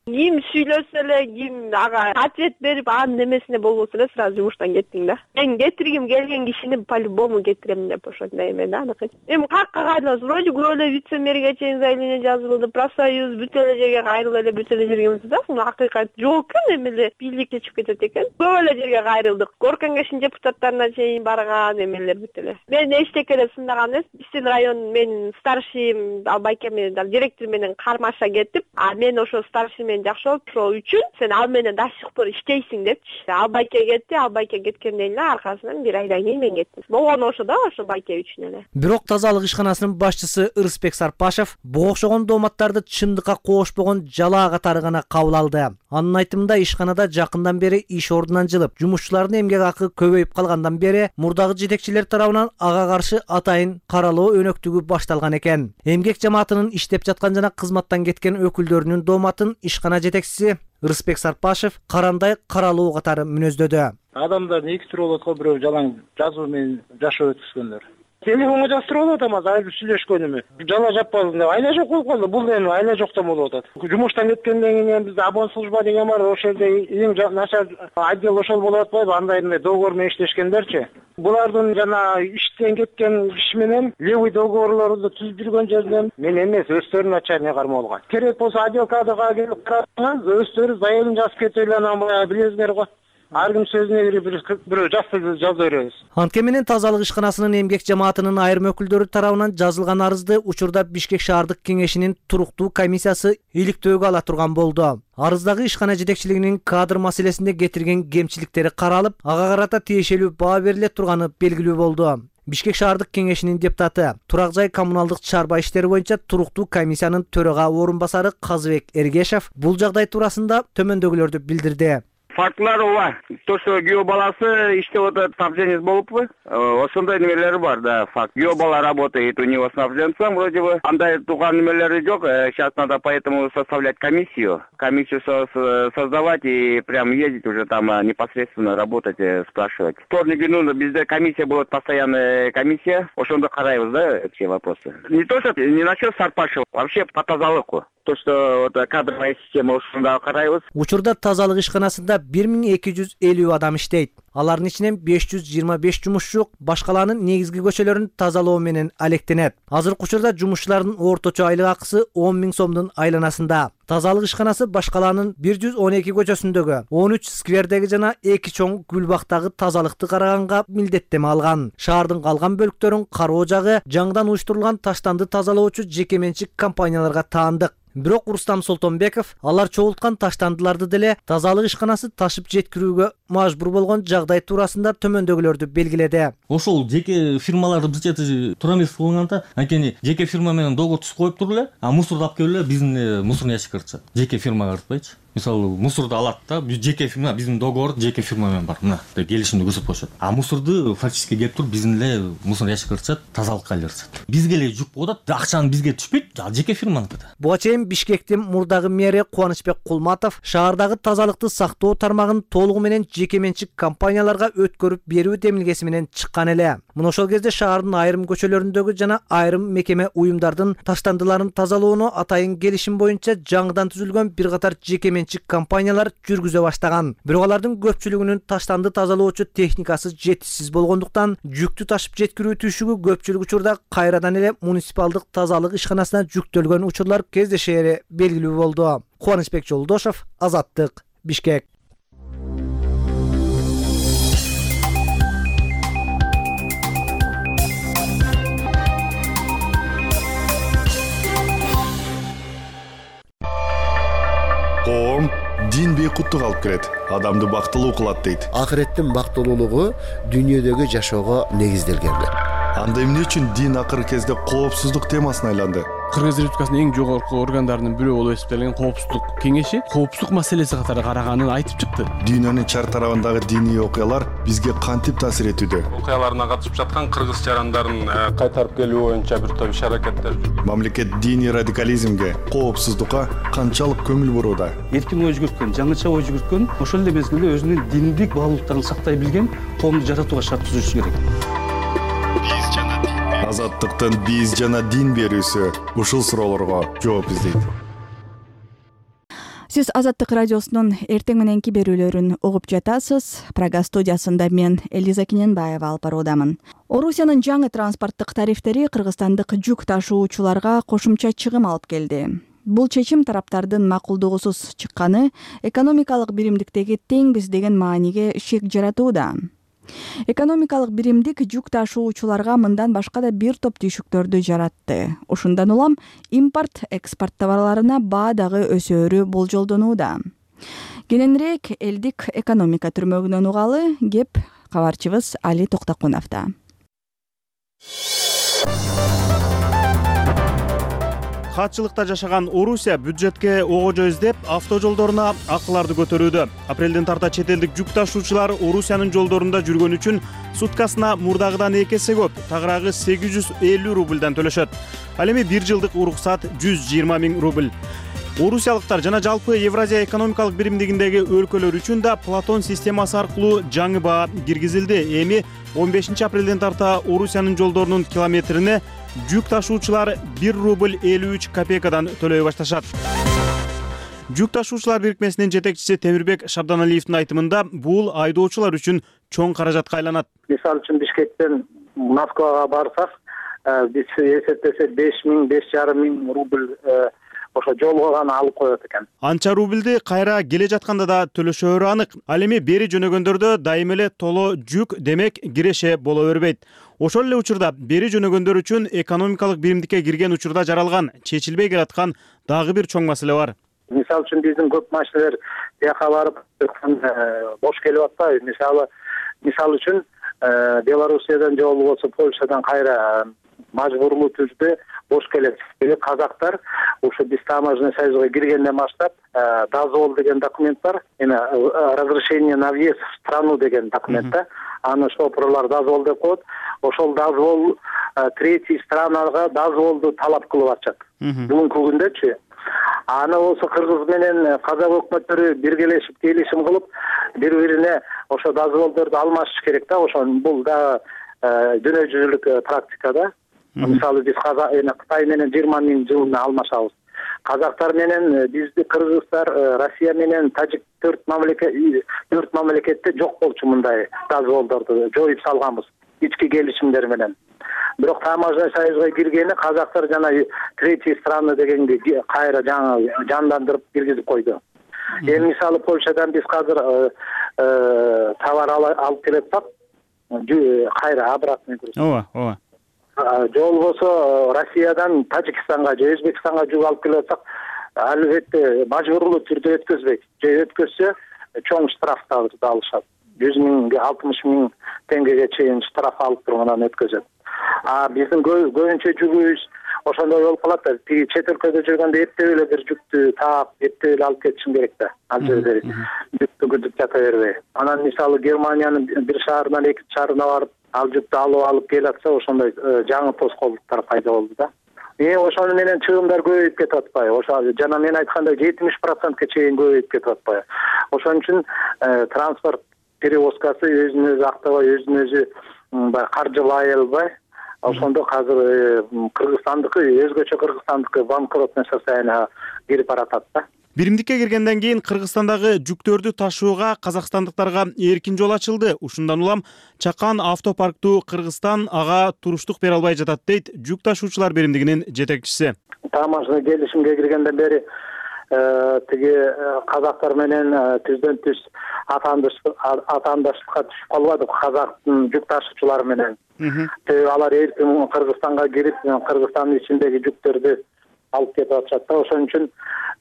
Ким сүйлөсө эле, ким ага ответ берип, анын немесине болбосо эле сразу жумуштан кеттиң да. Мен кетиргим келген кишини по-любому кетирем деп ошондой эме да аныкы. Эми какка кайрылабыз? Вроде көп эле вице-мэрге чейин заявление жазылды, профсоюз бүт эле жерге кайрылып эле бүт эле жерге эмес да. Акыйкат жок экен, эми эле бийликке чыгып кетет экен. Көп эле жерге кайрылдык. Горком кеңешинин депутаттарына чейин барган эмелер бүт эле. Мен эчтеке эле сындаган эмес. Биздин район менин старшим Албайке менен директор менен кармаша кетип, а мен ошо старший жакшы болуп туруу үчүн сен ал менен до сих пор иштейсиң депчи. Албайке кетти, Албайке кеткенден эле аркасынан бир айдан кийин мен кеттим. Болгону ошо да, ошо Байке үчүн эле. Бирок тазалык ишканасынын башчысы Ырысбек Сарпашев буга окшогон дооматтарды чындыкка коошпогон жалаа катары гана кабыл алды. Анын айтымында ишканада жакындан бери иш ордунан жылып, жумушчулардын эмгек акы көбөйүп калгандан бери мурдагы жетекчилер тарабынан ага каршы атайын каралоо өнөктүгү башталган экен. Эмгек жамаатынын иштеп жаткан жана кызматтан кеткен өкүлдөрүнүн дооматын ишкана жетекчиси Ырысбек Сарпашев карандай каралуу катары мүнөздөдү. Адамдардын эки түрү болот го, бирөө жалаң жазуу менен жашоо өткөзгөндөр. Телефонго жаздырып алып атам, азыр сүйлөшкөнүмү. Жала жаппадым деп айла жок болуп калды. Бул эми айла жоктон болуп атат. Жумуштан кеткенден кийин бизде обон служба деген бар, ошол жерде эң начар отдел ошол болуп атпайбы? Андай мындай договор менен иштешкендерчи. Булардын жана иштен кеткен киши менен левый договорлорду түздүргөн жерден мен эмес, өздөрү начальный кармоо болгон. Керек болсо отдел кадрга келип карасаңыз, өздөрү заявление жазып кетип эле анан баягы билесиңер го. Ар ким сөзүнө бирөө жазса жаза беребиз. Анткени менен тазалык ишканасынын эмгек жамаатынын айрым өкүлдөрү тарабынан жазылган арызды учурда Бишкек шаардык кеңешинин туруктуу комиссиясы иликтөөгө ала турган болду. Арыздагы ишкана жетекчилигинин кадр маселесинде кетирген кемчиликтери каралып, ага карата тиешелүү баа бериле турганы белгилүү болду. Бишкек шаардык кеңешинин депутаты, Турак жай коммуналдык чарба иштери боюнча туруктуу комиссиянын төрага орун басары Казыбек Эргешев бул жагдай туурасында төмөндөгүлөрдү билдирди. Фактлар ооба. То, что күйөө баласы иштеп атат, снабженец болуппу? Ошондой немелери бар, да, факт. Күйөө бала работает у него снабженцем, вроде бы. Андай туган немелери жок. Сейчас надо поэтому составлять комиссию. Комиссию создавать и прям ездить уже там непосредственно работать, спрашивать. Вторник, ну, bizde комиссия будет, постоянная комиссия. Ошондо карайбыз, да, все вопросы. Не то, что не насчет Сарпашева, вообще по тазалыку. То, что вот кадровая система ушунда карайбыз. Учурда тазалык ишканасында бир миң эки жүз элүү адам иштейт. Алардын ичинен беш жүз жыйырма беш жумушчу башкаланын негизги көчөлөрүн тазалоо менен алектенет. Азыркы учурда жумушчулардын орточо айлык акысы он миң сомдун айланасында. Тазалык ишканасы башкаланын бир жүз он эки көчөсүндөгү, он үч сквердеги жана эки чоң гүлбактагы тазалыкты караганга милдеттеме алган. Шаардын калган бөлүктөрүн кароо жагы жаңыдан уюштурулган таштанды тазалоочу жеке менчик компанияларга таандык. Бирок Рустам Солтонбеков алар чогулткан таштандыларды деле тазалык ишканасы ташып жеткирүүгө мажбур болгон жагдай туурасында төмөндөгүлөрдү белгиледи. Ошол жеке фирмаларды бир чети туура эмес кылганда, анткени жеке фирма менен договор түзүп коюп туруп эле, а мусорду алып келип эле биздин мусорный ящикке кыртышат. Жеке фирмага кыртпайчы. Мисалы, мусорду алат да, жеке фирма, биздин договор жеке фирма менен бар. Мына, деп келишимди көрсөтүп коюшат. А мусорду фактически келип туруп биздин эле мусорный ящикке кыртышат, тазалыкка айланышат. Бизге эле жүк болот, акчаны бизге түшпөйт, ал жеке фирманыкы да. Буга чейин Бишкектин мурдагы мэри Кубанычбек Кулматов шаардагы тазалыкты сактоо тармагын толугу менен жеке менчик компанияларга өткөрүп берүү демилгеси менен чыккан эле. Мына ошол кезде шаардын айрым көчөлөрүндөгү жана айрым мекеме уюмдардын таштандыларын тазалоону атайын келишим боюнча жаңыдан түзүлгөн бир катар жеке менчик компаниялар жүргүзө баштаган. Бирок алардын көпчүлүгүнүн таштанды тазалоочу техникасы жетишсиз болгондуктан жүктү ташып жеткирүү түйшүгү көпчүлүк учурда кайрадан эле муниципалдык тазалык ишканасына жүктөлгөн учурлар кездешери белгилүү болду. Кубанычбек Жолдошов, Азаттык, Бишкек. Коом дин бейкуттук алып келет, адамды бактылуу кылат дейт. Акыреттин бактылуулугу дүйнөдөгү жашоого негизделген. Анда эмне үчүн дин акыркы кезде коопсуздук темасына айланды? Кыргыз Республикасынын эң жогорку органдарынын бирөө болуп эсептелген коопсуздук кеңеши коопсуздук маселеси катары караганын айтып чыкты. Дүйнөнүн чар тарабындагы диний окуялар бизге кантип таасир этүүдө? Окуяларына катышып жаткан кыргыз жарандарын кайтарып келүү боюнча бир топ иш-аракеттер жүргүзүлөт. Мамлекет диний радикализмге, коопсуздукка канчалык көңүл бурууда? Эркин ой жүгүрткөн, жаңыча ой жүгүрткөн, ошол эле мезгилде өзүнүн диндик баалуулуктарын сактай билген коомду жаратууга шарт түзүшү керек. Азаттыктын биз жана дин берүүсү ушул суроолорго жооп издейт. Сиз Азаттык радиосунун эртең мененки берүүлөрүн угуп жатасыз. Прага студиясында мен Элиза Киненбаева алып баруудамын. Орусиянын жаңы транспорттук тарифтери кыргызстандык жүк ташуучуларга кошумча чыгым алып келди. Бул чечим тараптардын макулдугусуз чыкканы экономикалык биримдиктеги теңбиз деген мааниге шек жаратууда. Экономикалык биримдик жүк ташуучуларга мындан башка да бир топ түйшүктөрдү жаратты. Ушундан улам импорт, экспорт товарларына баа дагы өсөөрү болжолдонууда. Кененирээк элдик экономика түрмөгүнөн угалы кеп кабарчыбыз Али Токтокуновдо. Катчылыкта жашаган Орусия бюджетке огожо издеп, автожолдоруна акыларды көтөрүүдө. Апрелден тарта чет элдик жүк ташуучулар Орусиянын жолдорунда жүргөн үчүн суткасына мурдагыдан эки эсе көп, тагыраагы сегиз жүз элүү рубльдан төлөшөт. Ал эми бир жылдык уруксат жүз жыйырма миң рубль. Орусиялыктар жана жалпы Евразия экономикалык биримдигиндеги өлкөлөр үчүн да Платон системасы аркылуу жаңы баа киргизилди. Эми он бешинчи апрелден тарта Орусиянын жолдорунун километрине жүк ташуучулар бир рубль элүү үч копейкадан төлөй башташат. Жүк ташуучулар бирикмесинин жетекчиси Темирбек Шабданалиевдин айтымында бул айдоочулар үчүн чоң каражатка айланат. Мисалы үчүн Бишкектен Москвага барсак, биз эсептесек беш миң, беш жарым миң рубль ошо жолго гана алып коет экен. Анча рубльди кайра келе жатканда да төлөшөөрү анык. Ал эми бери жөнөгөндөрдө дайыма эле толо жүк, демек киреше боло бербейт. Ошол эле учурда бери жөнөгөндөр үчүн экономикалык биримдикке кирген учурда жаралган, чечилбей келаткан дагы бир чоң маселе бар. Мисалы үчүн биздин көп машиналар тияка барып бош келип атпайбы. Мисалы, мисалы үчүн Белоруссиядан же болбосо Польшадан кайра мажбурлуу түрдө бош келет. Казактар ушу биз таможенный союзга киргенден баштап дозвол деген документ бар. Эми разрешение на въезд в страну деген документ да. Аны шоферлор дозвол деп коет. Ошол дозвол третий странага дозволду талап кылып атышат. Бүгүнкү күндөчү. Аны болсо Кыргыз менен Казак өкмөттөрү биргелешип келишим кылып, бири-бирине ошо дозволдорду алмашыш керек да. Ошо бул да дүйнө жүзүлүк практика да. Мисалы биз Кытай менен жыйырма миң жылына алмашабыз. Казактар менен бизди кыргыздар, Россия менен, тажиктер төрт мамлекет төрт мамлекетте жок болчу мындай дозволдорду жоюп салганбыз ички келишимдер менен. Бирок таможня союзга киргени казактар жана третьи страны дегенди кайра жаңы жандандырып киргизип койду. Эми мисалы Польшадан биз азыр товар алып келатсак, кайра обратный груз. Ооба, ооба. Же болбосо Россиядан Тажикстанга же Өзбекстанга жүк алып келатсак, албетте мажбурлуу түрдө өткөзбөйт. Же өткөзсө чоң штрафтарды алышат. жүз миң, алтымыш миң теңгеге чейин штраф алып тургандан өткөзөт. А биздин көбүнчө жүгүбүз ошондой болуп калат да, тиги чет өлкөдө жүргөндө эптеп эле бир жүктү таап, эптеп эле алып кетишим керек да. Ал жерде жүктү күтүп жата бербей. Анан мисалы Германиянын бир шаарынан экинчи шаарына барып, ал жүктү алып алып келатса, ошондой жаңы тоскоолдуктар пайда болду да. Э ошону менен чыгымдар көбөйүп кетип атпайбы? Ошо жана мен айткандай жетимиш процентке чейин көбөйүп кетип атпайбы? Ошон үчүн транспорт перевозкасы өзүн өзү актабай, өзүн өзү баягы каржылай албай, ошондо азыр Кыргызстандыкы, өзгөчө Кыргызстандыкы банкротное состоянияга кирип баратат да. Биримдикке киргенден кийин Кыргызстандагы жүктөрдү ташууга казакстандыктарга эркин жол ачылды. Ушундан улам чакан автопарктуу Кыргызстан ага туруштук бере албай жатат дейт жүк ташуучулар биримдигинин жетекчиси. Таможня келишимге киргенден бери тиги казактар менен түздөн түз атаандаштыкка түшүп калбадык казактын жүк ташуучулары менен. Алар эркин Кыргызстанга кирип, Кыргызстандын ичиндеги жүктөрдү алып кетип атышат да. Ошон үчүн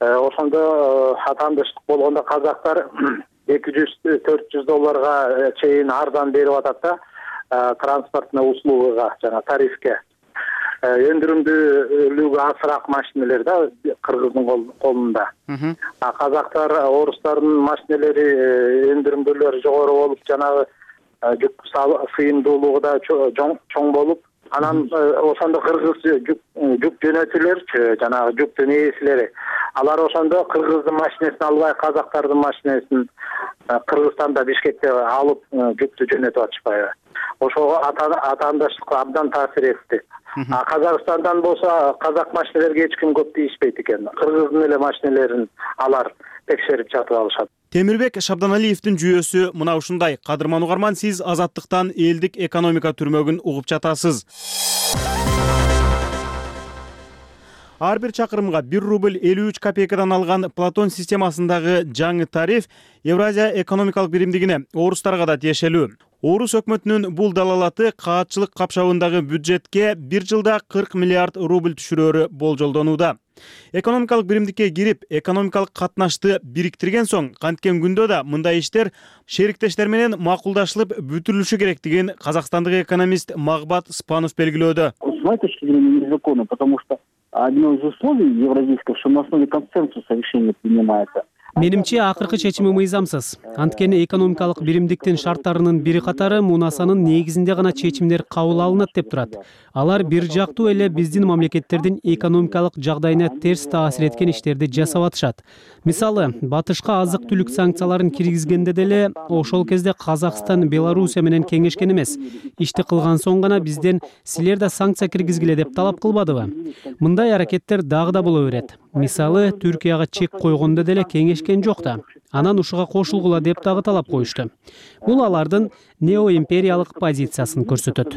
ошондо атаандаштык болгондо казактар эки жүз төрт жүз долларга чейин арзан берип атат да транспортный услугага, жана тарифке. Өндүрүмдүүлүгү азыраак машиналер да кыргыздын колунда. А казактар, орустардын машиналери өндүрүмдүүлүгү жогору болуп, жанагы жүк сыйымдуулугу да чоң болуп, анан ошондо кыргыз жүк жөнөтүүлөрчү, жанагы жүктүн ээсилери, алар ошондо кыргыздын машинесин албай, казактардын машинесин Кыргызстанда Бишкекте алып жүктү жөнөтүп атышпайбы? Ошого атаандаштык абдан таасир этти. А Казакстандан болсо казак машиналерге эч ким көп тийишпейт экен. Кыргыздын эле машиналерин алар текшерип жатып алышат. Темирбек Шабданалиевдин жүйөсү мына ушундай. Кадырман угарман, сиз Азаттыктан элдик экономика түрмөгүн угуп жатасыз. Ар бир чакырымга бир рубль элүү үч копейкадан алган Платон системасындагы жаңы тариф Евразия экономикалык биримдигине, орустарга да тиешелүү. Орус өкмөтүнүн бул далалаты каатчылык капшабындагы бюджетке бир жылда кырк миллиард рубль түшүрөрү болжолдонууда. Экономикалык биримдикке кирип, экономикалык катнашты бириктирген соң, канткен күндө да мындай иштер шериктештер менен макулдашылып бүтүрүлүшү керектигин казакстандык экономист Магбат Спанов белгилөөдө. С моей точки зрения, незаконно, потому что одно из условий евразийского, что на основе консенсуса решение принимается. Менимче акыркы чечими мыйзамсыз. Анткени экономикалык биримдиктин шарттарынын бири катары мунасанын негизинде гана чечимдер кабыл алынат деп турат. Алар бир жактуу эле биздин мамлекеттердин экономикалык жагдайына терс таасир эткен иштерди жасап атышат. Мисалы, батышка азык-түлүк санкцияларын киргизгенде деле ошол кезде Казакстан Белоруссия менен кеңешкен эмес. Ишти кылган соң гана бизден силер да санкция киргизгиле деп талап кылбадыбы? Мындай аракеттер дагы да боло берет. Мисалы, Түркияга чек койгондо деле кеңешкен жок да. Анан ушуга кошулгула деп дагы талап коюшту. Бул алардын неоимпериялык позициясын көрсөтөт.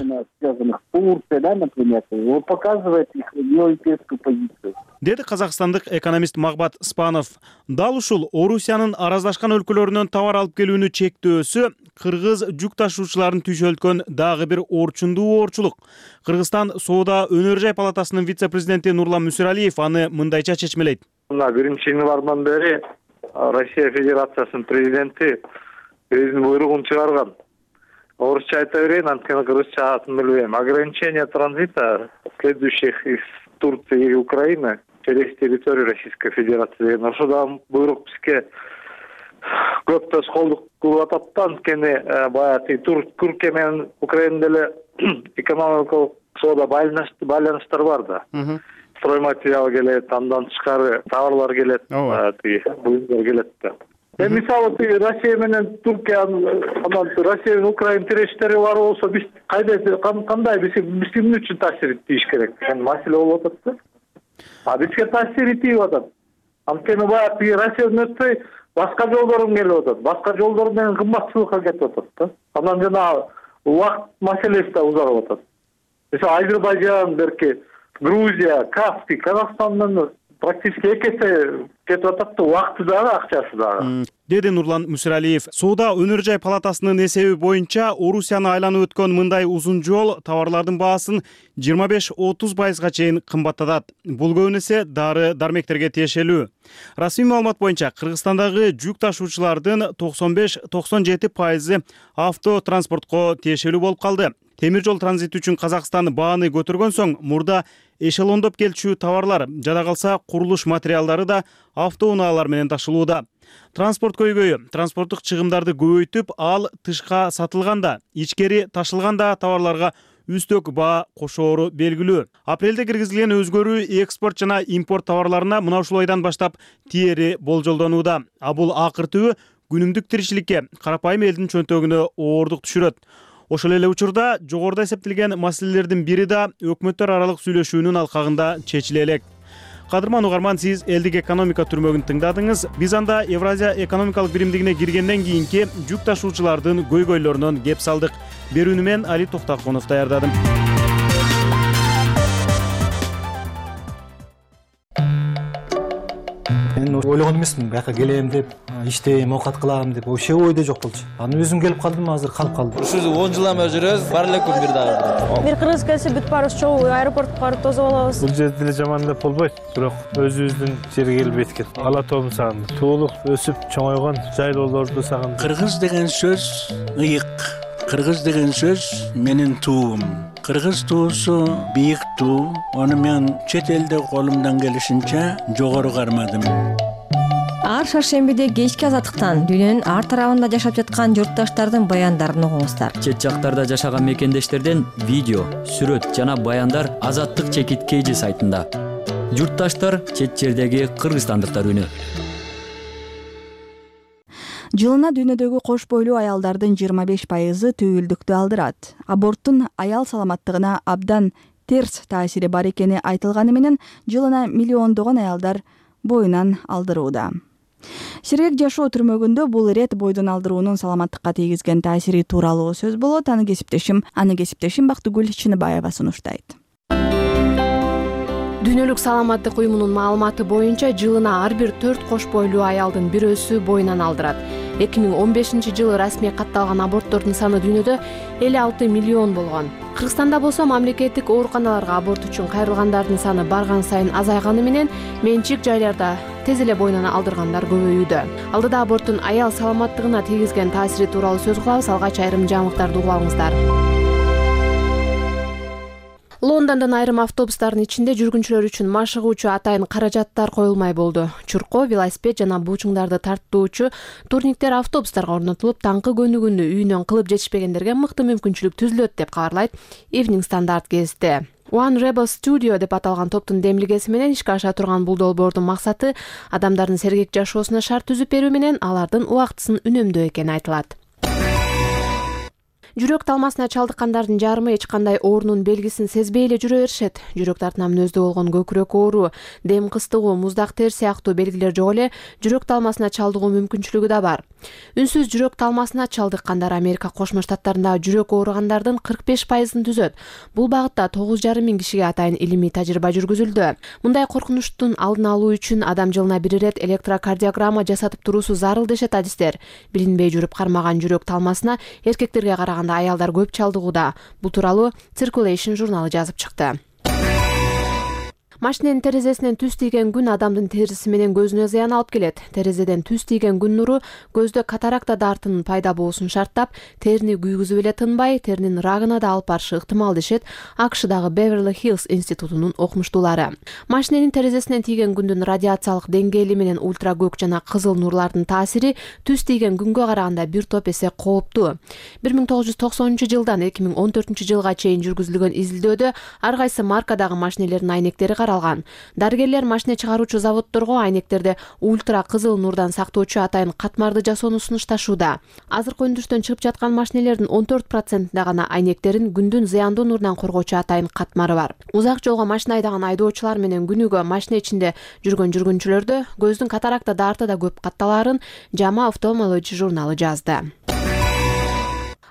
Деди казакстандык экономист Магбат Спанов. Дал ушул Орусиянын араздашкан өлкөлөрүнөн товар алып келүүнү чектөөсү кыргыз жүк ташуучуларын түйшөлткөн дагы бир орчундуу оорчулук. Кыргызстан соода өнөр жай палатасынын вице-президенти Нурлан Мүсүралиев аны мындайча чечмелейт. Мына биринчи январдан бери Россия Федерациясынын президенти өзүнүн буйругун чыгарган. Орусча айта берейин, анткени кыргызчасын билбейм. Ограничение транзита следующих из Турции и Украины через территорию Российской Федерации деген ошодан буйрук бизге көп тоскоолдук кылып атат да, анткени баягы Түркия менен Украина деле экономикалык соода байланыштар бар да. Стройматериал келет, андан тышкары товарлар келет, тиги буюмдар келет да. Э мисалы Россия менен Түркия, анан Россия менен Украина тирештери бар болсо, биз кайда кандай биз биз ким үчүн таасир этиш керек? Эми маселе болуп атат да. А бизге таасир этип атат. Анткени баягы Россиядан өтпөй, башка жолдорум келип атат. Башка жолдор менен кымбатчылыкка кетип атат да. Анан жана убакыт маселеси да узарып атат. Мисалы Азербайжан, берки Грузия, Каспий, Казакстандан практически эки эсе кетип атат да, убакыты дагы, акчасы дагы. Деди Нурлан Мүсүралиев. Соода өнөр жай палатасынын эсеби боюнча Орусияны айланып өткөн мындай узун жол товарлардын баасын жыйырма беш отуз пайызга чейин кымбаттатат. Бул көбүнесе дары дармектерге тиешелүү. Расмий маалымат боюнча Кыргызстандагы жүк ташуучулардын токсон беш токсон жети пайызы автотранспортко тиешелүү болуп калды. Темир жол транзити үчүн Казакстан бааны көтөргөн соң мурда эшелондоп келчү товарлар, жада калса курулуш материалдары да автоунаалар менен ташылууда. Транспорт көйгөйү транспорттук чыгымдарды көбөйтүп, ал тышка сатылганда, ичкери ташылганда товарларга үстөк баа кошоору белгилүү. Апрелде киргизилген өзгөрүү экспорт жана импорт товарларына мына ушул айдан баштап тиери болжолдонууда. А бул акыр түбү күнүмдүк тиричиликке, карапайым элдин чөнтөгүнө оордук түшүрөт. Ошол эле учурда жогоруда эсептелген маселелердин бири да өкмөттөр аралык сүйлөшүүнүн алкагында чечиле элек. Кадырман угарман, сиз элдик экономика түрмөгүн тыңдадыңыз. Биз анда Евразия экономикалык биримдигине киргенден кийинки жүк ташуучулардын көйгөйлөрүнөн кеп салдык. Берүүнү мен Али Токтакунов даярдадым. Мен ойлогон эмесмин, бияка келем деп, иштейм, оокат кылам деп, вообще ойдо жок болчу. Аны өзүм келип калдым, азыр калып калдым. Ушул он жылдан бери жүрөбүз, бар эле күн бир дагы. Бир кыргыз келсе бүт баарыбыз чогуу аэропортко барып тосуп алабыз. Бул жерде деле жаман деп болбойт, бирок өзүбүздүн жерге келип эткет. Ала тоомду сагындым. Туулук өсүп чоңойгон жайлоолорду сагындым. Кыргыз деген сөз ыйык. Кыргыз деген сөз менин туум. Кыргыз туусу бийик туу. Аны мен чет элде колумдан келишинче жогору кармадым. Ар шаршембиде кечки азаттыктан дүйнөнүн ар тарабында жашап жаткан журтташтардын баяндарын угуңуздар. Чет жактарда жашаган мекендештерден видео, сүрөт жана баяндар Азаттык чекит кейжи сайтында. Журтташтар чет жердеги кыргызстандыктар үнү. Жылына дүйнөдөгү кош бойлуу аялдардын жыйырма беш пайызы түйүлдүктү алдырат. Аборттун аял саламаттыгына абдан терс таасири бар экени айтылганы менен жылына миллиондогон аялдар боюнан алдырууда. Сергек жашоо түрмөгүндө бул ирет бойдон алдыруунун саламаттыкка тийгизген таасири тууралуу сөз болот. Аны кесиптешим, аны кесиптешим Бактыгүл Чыныбаева сунуштайт. Дүйнөлүк саламаттык уюмунун маалыматы боюнча жылына ар бир төрт кош бойлуу аялдын бирөөсү боюнан алдырат. эки миң он бешинчи жылы расмий катталган аборттордун саны дүйнөдө элүү алты миллион болгон. Кыргызстанда болсо мамлекеттик ооруканаларга аборт үчүн кайрылгандардын саны барган сайын азайганы менен менчик жайларда тез эле боюнан алдыргандар көбөйүүдө. Алдыда аборттун аял саламаттыгына тийгизген таасири тууралуу сөз кылабыз. Алгач айрым жаңылыктарды угуп алыңыздар. Лондондон айрым автобустардын ичинде жүргүнчүлөр үчүн машыгуучу атайын каражаттар коюлмай болду. Чуркоо, велосипед жана буучуңдарды тарттуучу турниктер автобустарга орнотулуп, таңкы көнүгүүнү үйүнөн кылып жетишпегендерге мыкты мүмкүнчүлүк түзүлөт деп кабарлайт Evening Standard гезити. One Rebel Studio деп аталган топтун демилгеси менен ишке аша турган бул долбоордун максаты адамдардын сергек жашоосуна шарт түзүп берүү менен алардын убактысын үнөмдөө экени айтылат. Жүрөк талмасына чалдыккандардын жарымы эч кандай оорунун белгисин сезбей эле жүрө беришет. Жүрөк тартына мүнөздүү болгон көкүрөк оору, дем кыстыгуу, муздак тер сыяктуу белгилер жок эле жүрөк талмасына чалдыгуу мүмкүнчүлүгү да бар. Үнсүз жүрөк талмасына чалдыккандар Америка Кошмо Штаттарында жүрөк ооругандардын кырк беш пайызын түзөт. Бул багытта тогуз жарым миң кишиге атайын илимий тажрыйба жүргүзүлдү. Мындай коркунучтун алдын алуу үчүн адам жылына бир ирет электрокардиограмма жасатып туруусу зарыл дешет адистер. Билинбей жүрүп кармаган жүрөк талмасына эркектерге караганда аялдар көп чалдыгууда. Бул тууралуу Circulation журналы жазып чыкты. Машиненин терезесинен түз тийген күн адамдын териси менен көзүнө зыян алып келет. Терезеден түз тийген күн нуру көздө катаракта дартынын пайда болуусун шарттап, терини күйгүзүп эле тынбай, теринин рагына да алып барышы ыктымал дешет АКШдагы Beverly Hills институтунун окумуштуулары. Машиненин терезесинен тийген күндүн радиациялык деңгээли менен ультракөк жана кызыл нурлардын таасири түз тийген күнгө караганда бир топ эсе кооптуу. бир миң тогуз жүз токсонунчу жылдан эки миң он төртүнчү жылга чейин жүргүзүлгөн изилдөөдө ар кайсы маркадагы машинелердин айнектери каралган. Дарыгерлер машина чыгаруучу заводдорго айнектерде ультра кызыл нурдан сактоочу атайын катмарды жасоону сунушташууда. Азыркы өндүрүштөн чыгып жаткан машинелердин он төрт процентинде гана айнектерин күндүн зыяндуу нурунан коргоочу атайын катмары бар. Узак жолго машина айдаган айдоочулар менен күнүгө машина ичинде жүргөн жүргүнчүлөрдө көздүн катаракта дарты да көп катталаарын JAMA Ophthalmology журналы жазды.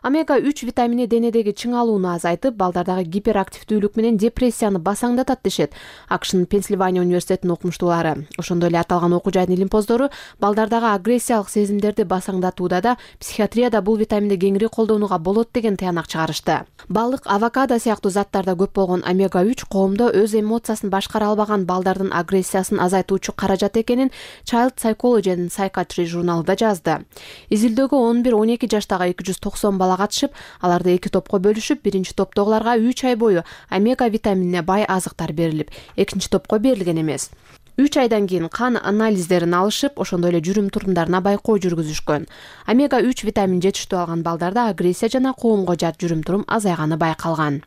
Омега үч витамини денедеги чыңалууну азайтып, балдардагы гиперактивдүүлүк менен депрессияны басаңдатат дешет АКШнын Пенсильвания университетинин окумуштуулары. Ошондой эле аталган окуу жайдын илимпоздору балдардагы агрессиялык сезимдерди басаңдатууда да психиатрияда бул витаминди кеңири колдонууга болот деген таянак чыгарышты. Балык, авокадо сыяктуу заттарда көп болгон омега үч коомдо өз эмоциясын башкара албаган балдардын агрессиясын азайтуучу каражат экенин Child Psychology and Psychiatry журналында жазды. Изилдөөгө он бир он эки жаштагы эки жүз токсон бала катышып, аларды эки топко бөлүшүп, биринчи топтогуларга үч ай бою омега витаминине бай азыктар берилип, экинчи топко берилген эмес. үч айдан кийин кан анализдерин алышып, ошондой эле жүрүм турумдарына байкоо жүргүзүшкөн. омега үч витамин жетиштүү алган балдарда агрессия жана коомго жат жүрүм турум азайганы байкалган.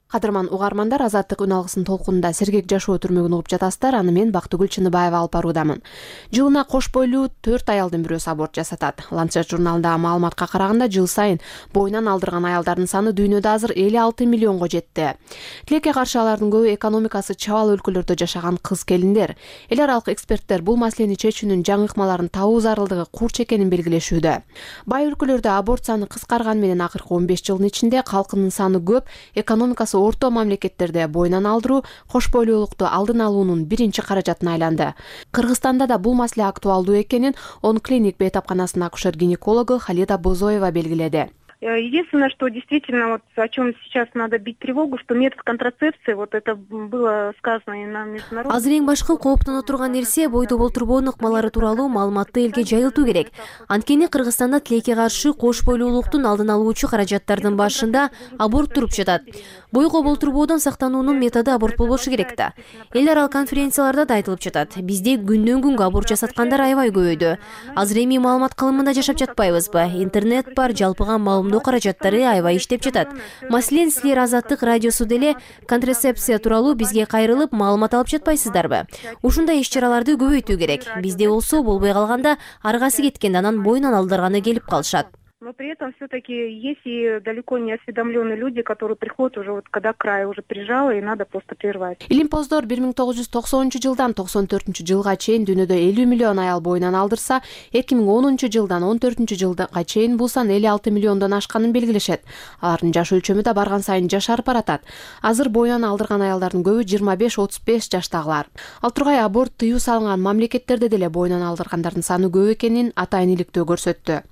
Кадырман угармандар, Азаттык үн алгысынын толкунунда сергек жашоо түрмөгүн угуп жатасыздар. Аны мен Бактыгүл Чыныбаева алып баруудамын. Жылына кош бойлуу төрт аялдын бирөөсү аборт жасатат. Ланцет журналындагы маалыматка караганда, жыл сайын боюнан алдырган аялдардын саны дүйнөдө азыр элүү алты миллионго жетти. Тилекке каршы алардын көбү экономикасы чабал өлкөлөрдө жашаган кыз келиндер. Эл аралык эксперттер бул маселени чечүүнүн жаңы ыкмаларын табуу зарылдыгы курч экенин белгилешүүдө. Бай өлкөлөрдө аборт саны кыскарган менен акыркы он беш жылдын ичинде калкынын саны көп, экономикасы орто мамлекеттерде боюнан алдыруу кош бойлуулукту алдын алуунун биринчи каражатына айланды. Кыргызстанда да бул маселе актуалдуу экенин Он клиник бейтапканасынын акушер-гинекологу Халида Бозоева белгиледи. Единственное, что действительно, вот о чем сейчас надо бить тревогу, что метод контрацепции, вот это было сказано и на международном... Азыр эң башкы кооптоно турган нерсе бойдо болтурбоонун ыкмалары тууралуу маалыматты элге жайылтуу керек. Анткени Кыргызстанда тилекке каршы кош бойлуулуктун алдын алуучу каражаттардын башында аборт туруп жатат. Бойго болтурбоодон сактануунун методу аборт болбошу керек да. Эл аралык конференцияларда да айтылып жатат. Бизде күндөн күнгө аборт жасаткандар аябай көбөйдү. Азыр эми маалымат кылымында жашап жатпайбызбы? Интернет бар, жалпыга маалымдоо каражаттары аябай иштеп жатат. Маселен, силер Азаттык радиосу деле контрацепция тууралуу бизге кайрылып маалымат алып жатпайсыздарбы? Ушундай иш-чараларды көбөйтүү керек. Бизде болсо болбой калганда аргасы кеткен, анан боюнан алдырганы келип калышат. Но при этом все-таки есть и далеко не осведомленные люди, которые приходят уже вот когда край уже прижало и надо просто прервать. Илимпоздор бир миң тогуз жүз токсонунчу жылдан токсон төртүнчү жылга чейин дүйнөдө элүү миллион аял боюнан алдырса, эки миң онунчу жылдан он төртүнчү жылга чейин бул сан элүү алты миллиондон ашканын белгилешет. Алардын жаш өлчөмү да барган сайын жашарып баратат. Азыр боюнан алдырган аялдардын көбү жыйырма беш отуз беш жаштагылар. Ал тургай аборт тыюу салынган мамлекеттерде деле боюнан алдыргандардын саны көп экенин атайын иликтөө көрсөттү.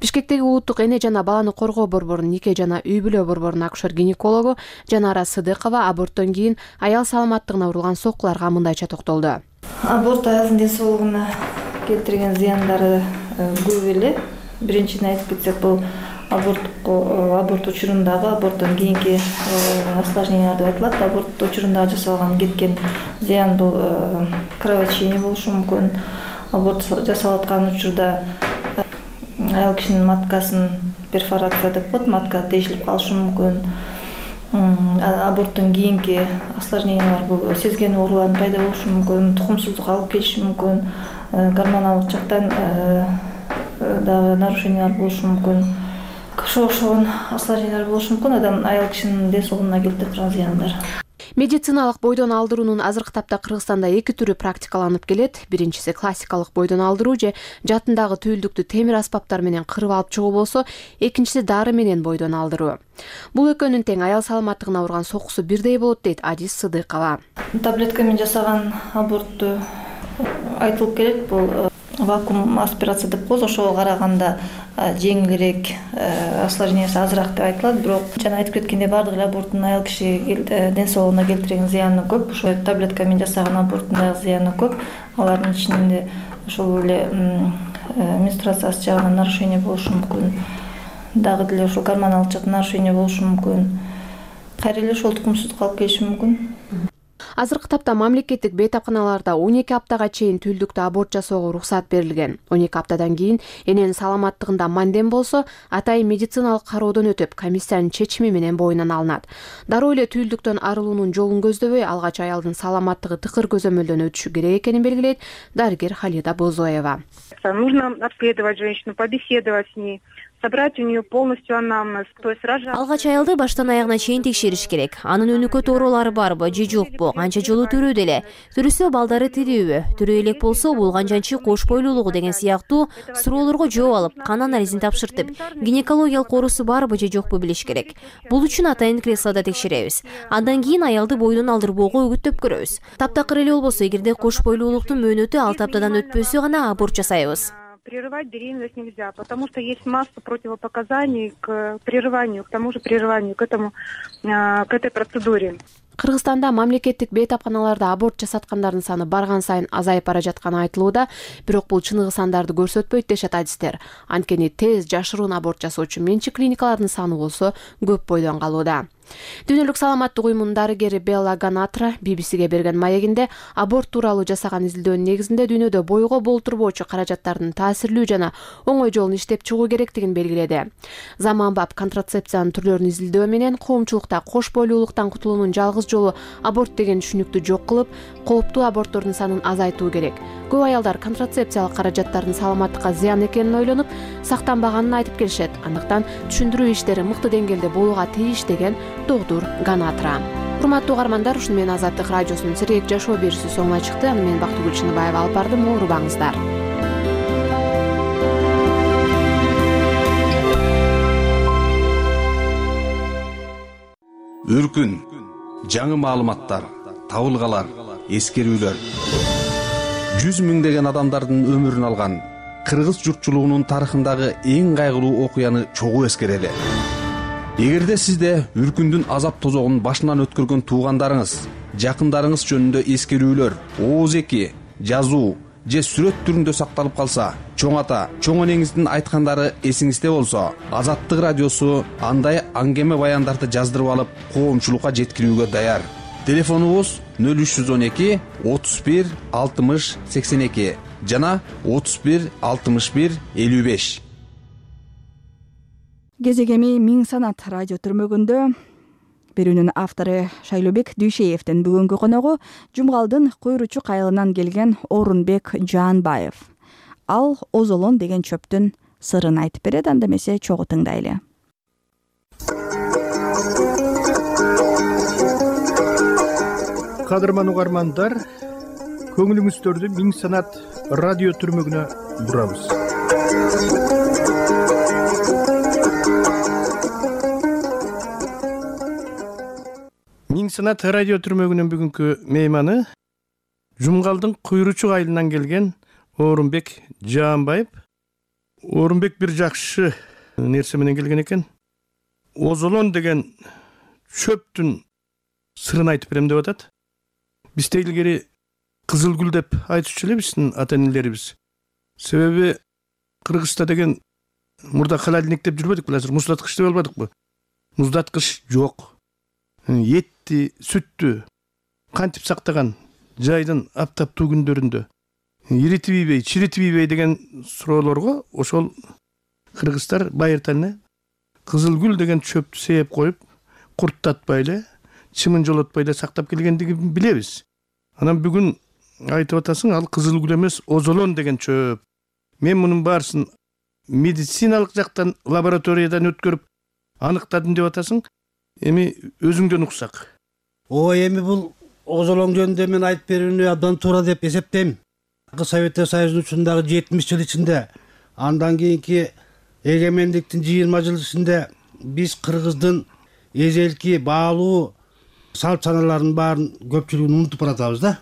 Бишкектеги улуттук эне жана баланы коргоо борборунун нике жана үй бүлө борборунун акушер-гинекологу Жанара Сыдыкова аборттон кийин аял саламаттыгына урулган соккуларга мындайча токтолду. Аборт аяздын ден соолугуна келтирген зыяндары көп эле. Биринчиден айтып кетсек, бул аборт аборт учурундагы аборттон кийинки осложнениялар деп айтылат. Аборт учурундагы жасалган кеткен зыян бул кровотечение болушу мүмкүн. Аборт жасалып аткан учурда аял кишинин маткасын перфорация деп коет, матка тешилип калышы мүмкүн. Аборттон кийинки осложнениялар бул сезген оорулардын пайда болушу мүмкүн, тукумсуздук алып келиши мүмкүн, гормоналдык жактан дагы нарушениялар болушу мүмкүн. Ошого окшогон осложнениялар болушу мүмкүн, адам аял кишинин ден соолугуна келтире турган зыяндар. Медициналык бойдон алдыруунун азыркы тапта Кыргызстанда эки түрү практикаланып келет. Биринчиси классикалык бойдон алдыруу же жатындагы түйүлдүктү темир аспаптар менен кырып алып чыгуу болсо, экинчиси дары менен бойдон алдыруу. Бул экөөнүн тең аял саламаттыгына урган сокусу бирдей болот дейт Адис Сыдыкова. Таблетка менен жасаган абортту айтылып келет, бул вакуум аспирация деп коебуз, ошого караганда жеңилирээк, осложнениясы азыраак деп айтылат. Бирок жана айтып кеткендей, бардык эле аборттун аял киши ден соолугуна келтирген зыяны көп. Ошо таблетка менен жасаган аборттун дагы зыяны көп. Алардын ичинде ошол эле менструациясы жагынан нарушение болушу мүмкүн. Дагы деле ошол гормоналдык жактан нарушение болушу мүмкүн. Кайра эле ошол тукумсуздук алып келиши мүмкүн. Азыркы тапта мамлекеттик бейтапканаларда он эки аптага чейин түйүлдүктө аборт жасоого уруксат берилген. он эки аптадан кийин эненин саламаттыгында мандем болсо, атайын медициналык кароодон өтүп, комиссиянын чечими менен боюнан алынат. Дароо эле түйүлдүктөн арылуунун жолун көздөбөй, алгач аялдын саламаттыгы тыкыр көзөмөлдөн өтүшү керек экенин белгилейт дарыгер Халида Бозоева. Нужно обследовать женщину, побеседовать с ней, собрать у нее полностью анамнез, то есть рожать. Алгач аялды баштан аягына чейин текшериш керек. Анын өнүкөт оорулары барбы же жокпу, канча жолу төрүүдө эле, төрүсө балдары тирүүбү, төрө элек болсо болгон жанчы кош бойлуулугу деген сыяктуу суроолорго жооп алып, кан анализин тапшыртып, гинекологиялык оорусу барбы же жокпу билиш керек. Бул үчүн атайын креслода текшеребиз. Андан кийин аялды бойдон алдырбоого үгүттөп көрөбүз. Таптакыр эле болбосо, эгерде кош бойлуулуктун мөөнөтү алты аптадан өтпөсө гана аборт жасайбыз. Прерывать беременность нельзя, потому что есть масса противопоказаний к прерыванию, к тому же прерыванию, к этому, к этой процедуре. Кыргызстанда мамлекеттик бейтапканаларда аборт жасаткандардын саны барган сайын азайып бара жатканы айтылууда, бирок бул чыныгы сандарды көрсөтпөйт дешет адистер. Анткени тез жашыруун аборт жасоочу менчик клиникалардын саны болсо көп бойдон калууда. Дүйнөлүк саламаттык уюмунун дарыгери Белла Ганатра би би сиге берген маегинде аборт тууралуу жасаган изилдөөнүн негизинде дүйнөдө бойго болтурбоочу каражаттардын таасирлүү жана оңой жолун иштеп чыгуу керектигин белгиледи. Заманбап контрацепциянын түрлөрүн изилдөө менен коомчулукта кош бойлуулуктан кутулуунун жалгыз жолу аборт деген түшүнүктү жок кылып, кооптуу аборттордун санын азайтуу керек. Көп аялдар контрацепциялык каражаттардын саламаттыкка зыян экенин ойлонуп, сактанбаганын айтып келишет. Андыктан түшүндүрүү иштери мыкты деңгээлде болууга тийиш деген доктор Ганатра. Урматтуу угармандар, ушуну менен Азаттык радиосунун Сергек жашоо берүүсү соңуна чыкты. Аны мен Бактыгүл Чыныбаева алып бардым. Оорубаңыздар. Үркүн, жаңы маалыматтар, табылгалар, эскерүүлөр. жүз миңдеген адамдардын өмүрүн алган кыргыз журтчулугунун тарыхындагы эң кайгылуу окуяны чогуу эскерели. Эгерде сизде үркүндүн азап тозогун башынан өткөргөн туугандарыңыз, жакындарыңыз жөнүндө эскерүүлөр, ооз эки, жазуу же сүрөт түрүндө сакталып калса, чоң ата, чоң энеңиздин айткандары эсиңизде болсо, Азаттык радиосу андай аңгеме баяндарды жаздырып алып, коомчулукка жеткирүүгө даяр. Телефонубуз нөл үч жүз он эки отуз бир алтымыш сексен эки жана отуз бир алтымыш бир элүү беш. Кезегеми Миң санат радио түрмөгүндө берүүнүн автору Шайлообек Дүйшеевдин бүгүнкү коногу Жумгалдын Куйручу кайылынан келген Орунбек Жаанбаев. Ал озолон деген чөптүн сырын айтып берет, анда эмесе чогуу тыңдайлы. Кадырман угармандар, көңүлүңүздөрдү Миң санат радио түрмөгүнө бурабыз. Миң санат радио түрмөгүнүн бүгүнкү мейманы Жумгалдын Куйручу айылынан келген Орунбек Жаанбаев. Орунбек бир жакшы нерсе менен келген экен. Озолон деген чөптүн сырын айтып берем деп атат. Биз илгери кызыл гүл деп айтчу эле биздин ата-энелерибиз. Себеби Кыргызста деген мурда холодильник деп жүрбөдүкпү, азыр муздаткыч деп албадыкпы? Муздаткыч жок. Этти, сүттү кантип сактаган жайдын аптаптуу күндөрүндө иритип ийбей, чиритип ийбей деген суроолорго ошол кыргыздар байыртан эле кызыл гүл деген чөптү сээп коюп, курттатпай эле, чымын жолотпой эле сактап келгендигин билебиз. Анан бүгүн айтып атасың, ал кызыл гүл эмес, озолон деген чөп. Мен мунун баарысын медициналык жактан лабораториядан өткөрүп аныктадым деп атасың. Эми өзүңдөн уксак. Ой, эми бул озолон жөнүндө мен айтып берүүнү абдан туура деп эсептейм. Советтер Союзунун учундагы жетимиш жыл ичинде, андан кийинки эгемендиктин жыйырма жыл ичинде биз кыргыздын эзелки баалуу салт саналарынын баарын көпчүлүгүн унутуп баратабыз да.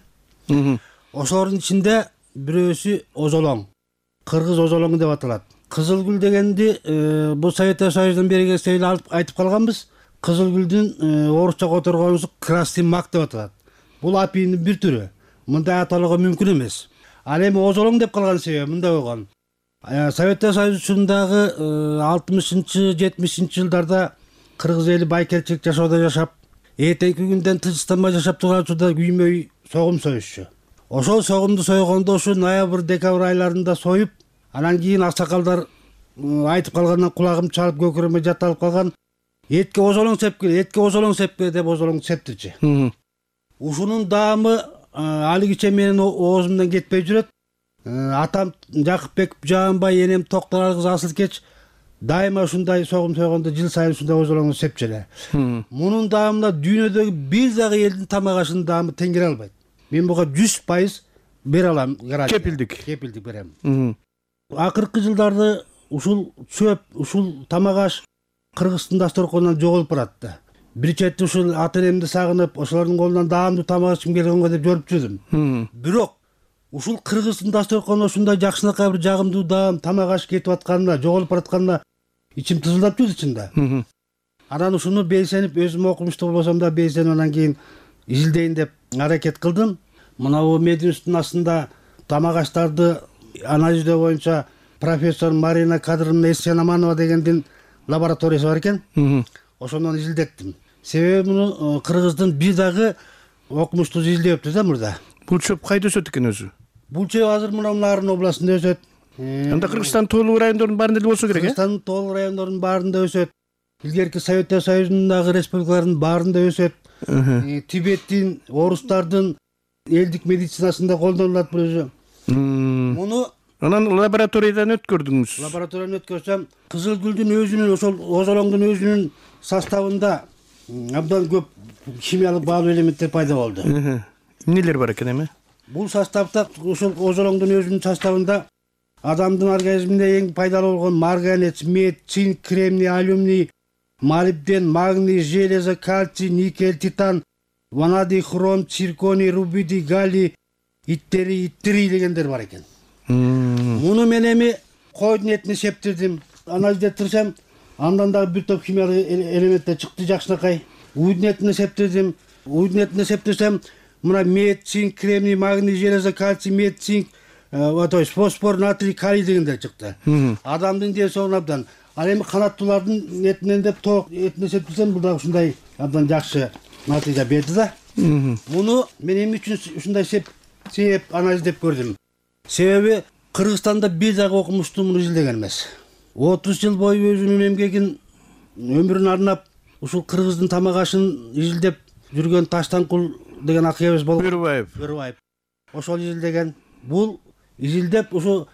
Ошолордун ичинде бирөөсү озолоң. Кыргыз озолоңу деп аталат. Кызыл гүл дегенди бул Советтер Союзунан бери келсе эле айтып калганбыз. Кызыл гүлдүн орусча которгонусу красный мак деп аталат. Бул апийдин бир түрү. Мындай аталууга мүмкүн эмес. Ал эми озолоң деп калган себеби мындай болгон. Советтер Союзу учундагы алтымышынчы жетимишинчи жылдарда кыргыз эли байкелчилик жашоодо жашап, эртеңки күндөн тынчтанбай жашап турган учурда күймөй согум союшчу. Ошол согумду сойгондо ушу ноябрь декабрь айларында союп, анан кийин аксакалдар айтып калгандан кулагым чалып көкүрөмө жатталып калган. Этке озолоң сепкиле, этке озолоң сепкиле деп озолоңду септирчи. Ушунун даамы алигиче менин оозумдан кетпей жүрөт. Атам Жакыпбек Жаанбай, энем Токтор кыз Асылкеч дайыма ушундай согум сойгондо жыл сайын ушундай озолоңду сепчү эле. Мунун даамына дүйнөдөгү бир дагы элдин тамак ашынын даамы тең келе албайт. Мен буга жүз пайыз бере алам, гарантия. Кепилдик. Кепилдик берем. Акыркы жылдарды ушул чөп, ушул тамак аш Кыргыздын дасторконунан жоголуп баратты. Бир чети ушул ата энемди сагынып, ошолордун колунан даамдуу тамак ичим келгенге деп көрүп жүрдүм. Бирок ушул Кыргыздын дасторконуна ушундай жакшынакай бир жагымдуу даам тамак аш кетип атканына, жоголуп баратканына ичим тызылдап жүрдү ичинде. Анан ушуну белсенип, өзүм окумуштуу болбосом да белсенип анан кийин изилдейин деп аракет кылдым. Мына бул мединституттун астында тамак аштарды анализдөө боюнча профессор Марина Кадыровна Эсенаманова дегендин лабораториясы бар экен. Ошондон изилдеттим. Себеби муну Кыргыздын бир дагы окумуштуу изилдөөптү да мурда. Бул чөп кайда өсөт экен өзү? Бул чөп азыр мына Нарын областында өсөт. Анда Кыргызстандын тоолуу райондорунун баарында эле болсо керек э? Кыргызстандын тоолуу райондорунун баарында өсөт. Илгерки Советтер Союзундагы республикалардын баарында өсөт. Тибеттин, орустардын элдик медицинасында колдонулат бул өзү. Муну анан лабораториядан өткөрдүңүз. Лабораториядан өткөрсөм, кызыл гүлдүн өзүнүн, ошол озолоңдун өзүнүн составында абдан көп химиялык баалуу элементтер пайда болду. Эмнелер бар экен эми? Бул составда, ошол озолоңдун өзүнүн составында адамдын организмине эң пайдалуу болгон марганец, мед, цинк, кремний, алюминий, молибден, магний, железо, кальций, никель, титан, ванадий, хром, цирконий, рубидий, галлий, иттери, иттирий дегендер бар экен. Муну мен эми койдун этине септирдим, анализдеттирсем, андан дагы бир топ химиялык элементтер чыкты жакшынакай. Уйдун этине септирдим, уйдун этине септирсем, мына мед, цинк, кремний, магний, железо, кальций, мед, цинк, то есть фосфор, натрий, калий дегендер чыкты. Адамдын ден соолугуна абдан. Ал эми канаттуулардын этинен деп тоок этине септирсем, бул дагы ушундай абдан жакшы натыйжа берди да. Муну мен эмне үчүн ушундай сеп сеп анализдеп көрдүм. Себеби Кыргызстанда бир дагы окумуштуу муну изилдеген эмес. отуз жыл бою өзүнүн эмгегин, өмүрүн арнап ушул Кыргыздын тамак ашын изилдеп жүргөн Таштанкул деген акыбыз болуп, Бөрүбаев. Бөрүбаев. Ошол изилдеген. Бул изилдеп ушу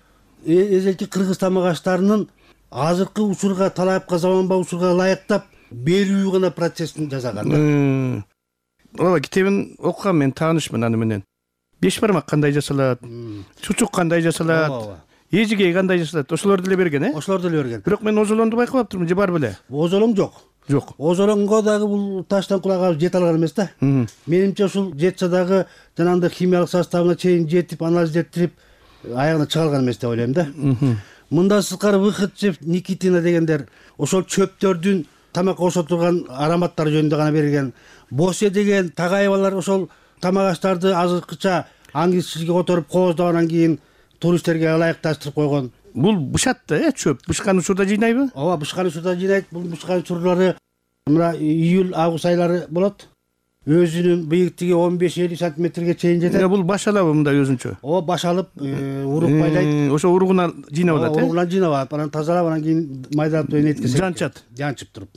эзелки кыргыз тамак аштарынын азыркы учурга, талапка, заманбап учурга ылайыктап берүү гана процессин жасаган. Ооба, китебин окугам, мен таанышмын аны менен. Беш бармак кандай жасалат, чучук кандай жасалат, эжиге кандай жасалат, ошолорду эле берген, э? Ошолорду эле берген. Бирок мен озолоңду байкабаптырмын, же бар беле? Озолоң жок. Жок. Озолоңго дагы бул Таштанкул ага жете алган эмес да. Менимче ушул жетсе дагы жанагындай химиялык составына чейин жетип, анализдеттирип, аягына чыга алган эмес деп ойлойм да. Мындан сырткары Выходцев, Никитина дегендер ошол чөптөрдүн тамакка кошо турган ароматтары жөнүндө гана берилген. Босе деген Тагаевалар ошол тамак аштарды азыркыча аңгизчиликке которуп кооздоп, анан кийин туристтерге ылайыкташтырып койгон. Бул бышат да, э, чөп. Бышкан учурда жыйнайбы? Ооба, бышкан учурда жыйнайт. Бул бышкан учурлары мына июль, август айлары болот. Өзүнүн бийиктиги он беш элүү сантиметрге чейин жетет. Бул баш алабы мындай өзүнчө? Ооба, баш алып, урук байлайт. Ошо уругуна жыйнап алат, э? Уругуна жыйнап алат, анан тазалап, анан кийин майдалап энетке жанчат. Жанчып туруп.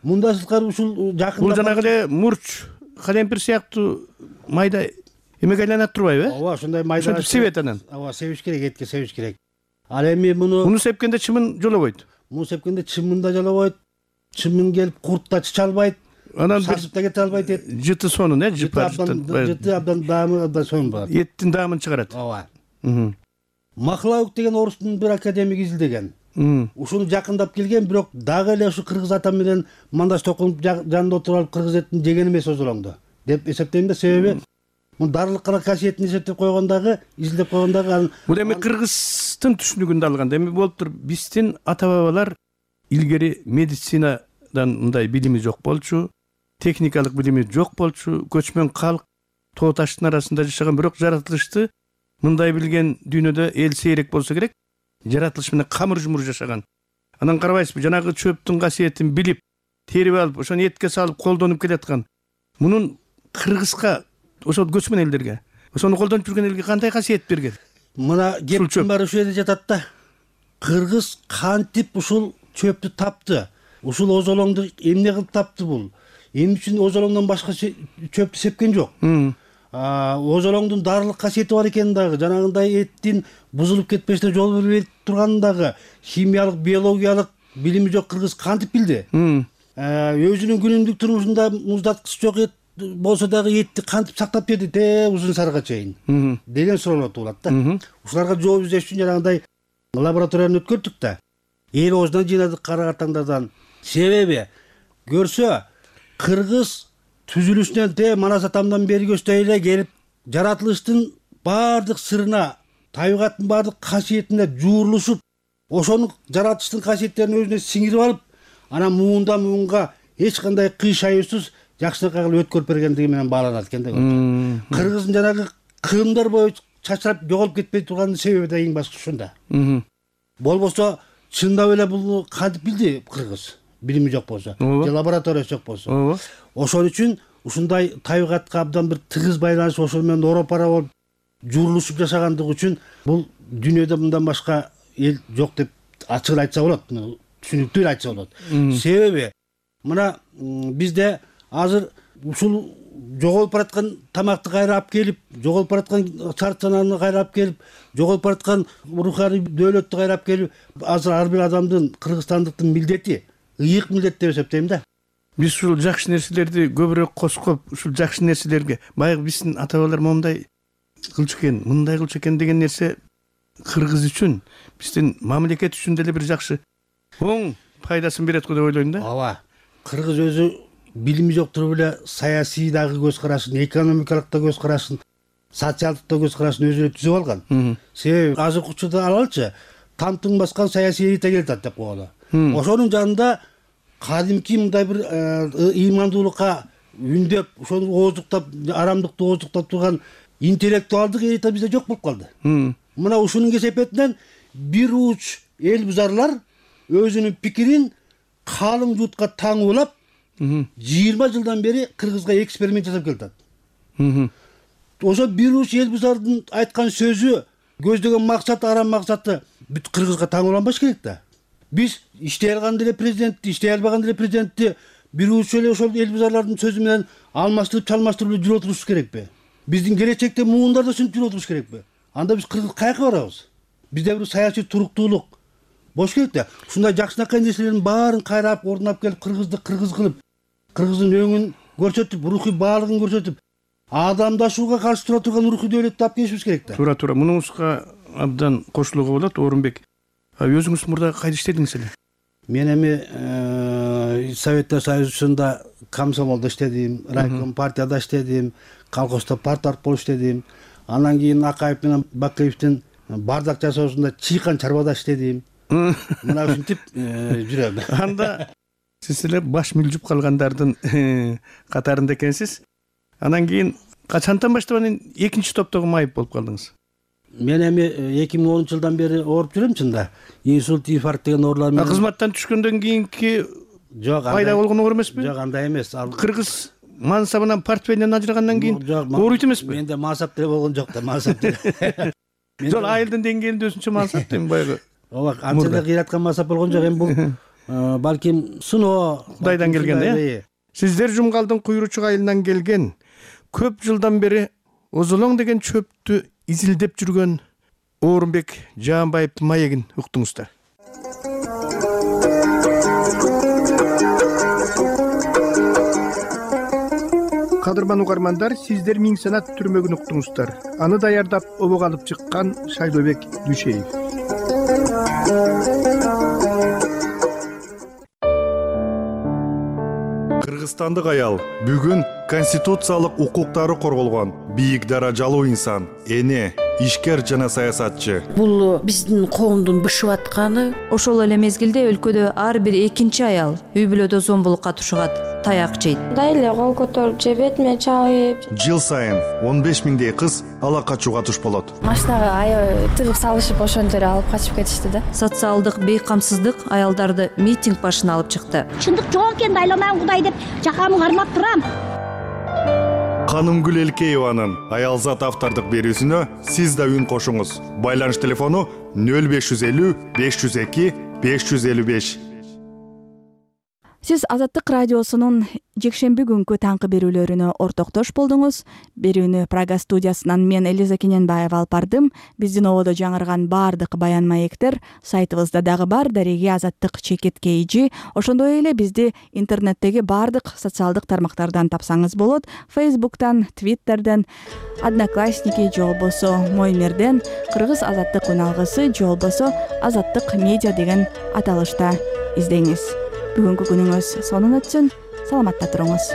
Мындан сырткары ушул жакында бул жанагы эле мурч, калемпир сыяктуу майда эмеге айланат турбайбы, э? Ооба, ошондой майда. Ошентип себет анан. Ооба, себиш керек, этке себиш керек. Ал эми муну муну сепкенде чымын жолобойт. Муну сепкенде чымын да жолобойт. Чымын келип курт да чыча албайт. Анан сасып да кете албайт эт. Жыты сонун, э, жыпар жыты. Жыты абдан даамы абдан сонун болот. Эттин даамын чыгарат. Ооба. Махлаук деген орустун бир академик изилдеген. Ушуну жакындап келген, бирок дагы эле ушу кыргыз атам менен мандаш токунуп жанында отуруп алып кыргыз этин жеген эмес озолоңду деп эсептейм да. Себеби мун дарылыкка касиетин эсептеп койгондагы, изилдеп койгондагы бул эми кыргыздын түшүнүгүндө алганда эми болуптур. Биздин ата бабалар илгери медицинадан мындай билими жок болчу, техникалык билими жок болчу, көчмөн калк тоо таштын арасында жашаган, бирок жаратылышты мындай билген дүйнөдө эл сейрек болсо керек. Жаратылыш менен камыр жумур жашаган. Анан карабайсызбы, жанагы чөптүн касиетин билип, терип алып ошону этке салып колдонуп келаткан мунун кыргызга ошол көчмөн элдерге ошону колдонуп жүргөн элге кандай касиет берген? Мына кептин баары ушул жерде жатат да. Кыргыз кантип ушул чөптү тапты? Ушул озолоңду эмне кылып тапты бул? Эмне үчүн озолоңдон башка чөптү сепкен жок? Озолоңдун дарылык касиети бар экенин дагы, жанагындай эттин бузулуп кетпешине жол бербей турганын дагы химиялык, биологиялык билими жок кыргыз кантип билди? Өзүнүн күнүмдүк турмушунда муздаткыч жок эт болсо дагы этти кантип сактап берди те узун сарга чейин деген суроолор туулат да. Ушуларга жооп издеш үчүн жанагындай лабораторияны өткөрдүк да. Эл оозунан жыйнадык кара картаңдардан. Себеби көрсө кыргыз түзүлүшүнөн те манас атамдан берги өстэй эле келип жаратылыштын баардык сырына, табигаттын баардык касиетине жуурулушуп, ошонун жаратылыштын касиеттерин өзүнө сиңирип алып, анан муунда муунга эч кандай кый шаюусуз жакшынакай кылып өткөрүп бергендиги менен бааланат экен да. Кыргыздын жанагы кырымдар бою чачырап жоголуп кетпей турганын себеби да эң башкысы ушунда. Болбосо чындап эле бул кантип билди кыргыз? Билими жок болсо, же лабораториясы жок болсо. Ошон үчүн ушундай табигатка абдан бир тыгыз байланышып, ошол менен оропара болуп жуурулушуп жашагандыгы үчүн бул дүйнөдө мындан башка эл жок деп ачык айтса болот, түшүнүктүү эле айтса болот. Себеби мына бизде азыр ушул жоголуп бараткан тамакты кайра алып келип, жоголуп бараткан чарт санааны кайра алып келип, жоголуп бараткан руханий дөөлөттү кайра алып келип, азыр ар бир адамдын, кыргызстандыктын милдети ыйык милдет деп эсептейм да. Биз ушул жакшы нерселерди көбүрөөк коскоп, ушул жакшы нерселерге баягы биздин ата бабалар моундай кылчу экен, мындай кылчу экен деген нерсе кыргыз үчүн, биздин мамлекет үчүн деле бир жакшы оң пайдасын берет го деп ойлойм да. Ооба. Кыргыз өзү билими жок туруп эле саясий дагы көз карашын, экономикалык да көз карашын, социалдык да көз карашын өзүнө түзүп алган. Себеби азыркы учурда алалычы тамтың баскан саясий элита келатат деп коелу. Ошонун жанында кадимки мындай бир ыймандуулукка үндөп, ошону ооздуктап, арамдыкты ооздуктап турган интеллектуалдык элита бизде жок болуп калды. Мына ушунун кесепетинен бир уч эл бузарлар өзүнүн пикирин калың жуутка таңуулап жыйырма жылдан бери кыргызга эксперимент жасап келатат. Ошо бир уч эл бузардын айткан сөзү, көздөгөн максаты, арам максаты бүт кыргызга таңууланбаш керек да. Биз иштей алган деле президентти, иштей албаган деле президентти бир уч эле ошол эл бузарлардын сөзү менен алмаштырып, чалмаштырып эле жүрө турушубуз керекпи? Биздин келечекте муундар да ушинтип жүрө туруш керекпи? Анда биз кыргыз каяка барабыз? Бизде бир саясий туруктуулук болуш керек да. Ушундай жакшынакай нерселердин баарын кайрап, ордунап келип, кыргызды кыргыз кылып, кыргыздын өңүн көрсөтүп, рухий баалыгын көрсөтүп, адамдашууга каршы тура турган рухий дөөлөттү алып келишибиз керек да. Туура туура. Мунуңузга абдан кошулууга болот, Орунбек. Өзүңүз мурда кайда иштедиңиз эле? Мен эми Советтер Союзунда комсомолдо иштедим, райком партияда иштедим, колхоздо парторг болуп иштедим. Андан кийин Акаев менен Бакеевдин бардак жасоосунда чыйкан чарбада иштедим. Мына ушинтип жүрөм. Анда сиз эле баш мүлжүп калгандардын катарында экенсиз. Андан кийин качантан баштап анан экинчи топтогу майып болуп калдыңыз? Мен эми эки миң онунчу жылдан бери ооруп жүрөм чында. Инсульт, инфаркт деген оорулар менен. Кызматтан түшкөндөн кийинки жок, пайда болгон оор эмеспи? Жок, андай эмес. Кыргыз мансабынан, портфелинен ажырагандан кийин ооруйт эмеспи? Менде мансап деле болгон жок да, мансап деле. Жок, айылдын деңгээлинде өзүнчө мансап дейм баягы. Ооба, анча эле кыйраткан мансап болгон жок. Эми бул балким сыноо Кудайдан келген да. Сиздер Жумгалдын Куйручук айылынан келген, көп жылдан бери озолоң деген чөптү изилдеп жүргөн Орунбек Жаанбаевдин маегин уктуңуздар. Кадырман угармандар, сиздер Миң Санат түрмөгүн уктуңуздар. Аны даярдап обого алып чыккан Шайлообек Дүйшеев. Кыргызстандык аял бүгүн конституциялык укуктары корголгон бийик даражалуу инсан, эне, ишкер жана саясатчы. Бул биздин коомдун бышып атканы. Ошол эле мезгилде өлкөдө ар бир экинчи аял үй бүлөдө зомбулукка тушугат. таяк жейт. Мындай эле кол көтөрүп же бетиме чабып. Жыл сайын он беш миңдей кыз ала качууга туш болот. Машинага аябай тыгып салышып ошентип эле алып качып кетишти да. Социалдык бейкамсыздык аялдарды митинг башына алып чыкты. Чындык жок экен, айланам Кудай деп жакамды кармап турам. Канымгүл Элкееванын Аялзат автордук берүүсүнө сиз да үн кошуңуз. Байланыш телефону нөл беш жүз элүү беш жүз эки беш жүз элүү беш. Сиз Азаттык радиосунун жекшемби күнкү таңкы берүүлөрүнө ортоктош болдуңуз. Берүүнү Прага студиясынан мен Элиза Кененбаева алып бардым. Биздин ободо жаңырган баардык баян маектер сайтыбызда дагы бар. Дареги Азаттык чекит кейжи. Ошондой эле бизди интернеттеги баардык социалдык тармактардан тапсаңыз болот. Фейсбуктан, Твиттерден, Одноклассники же болбосо Моймерден Кыргыз Азаттык үналгысы же болбосо Азаттык медиа деген аталышта издеңиз. Бүгүнкү күнүңүз сонун өтсүн. Саламатта туруңуз.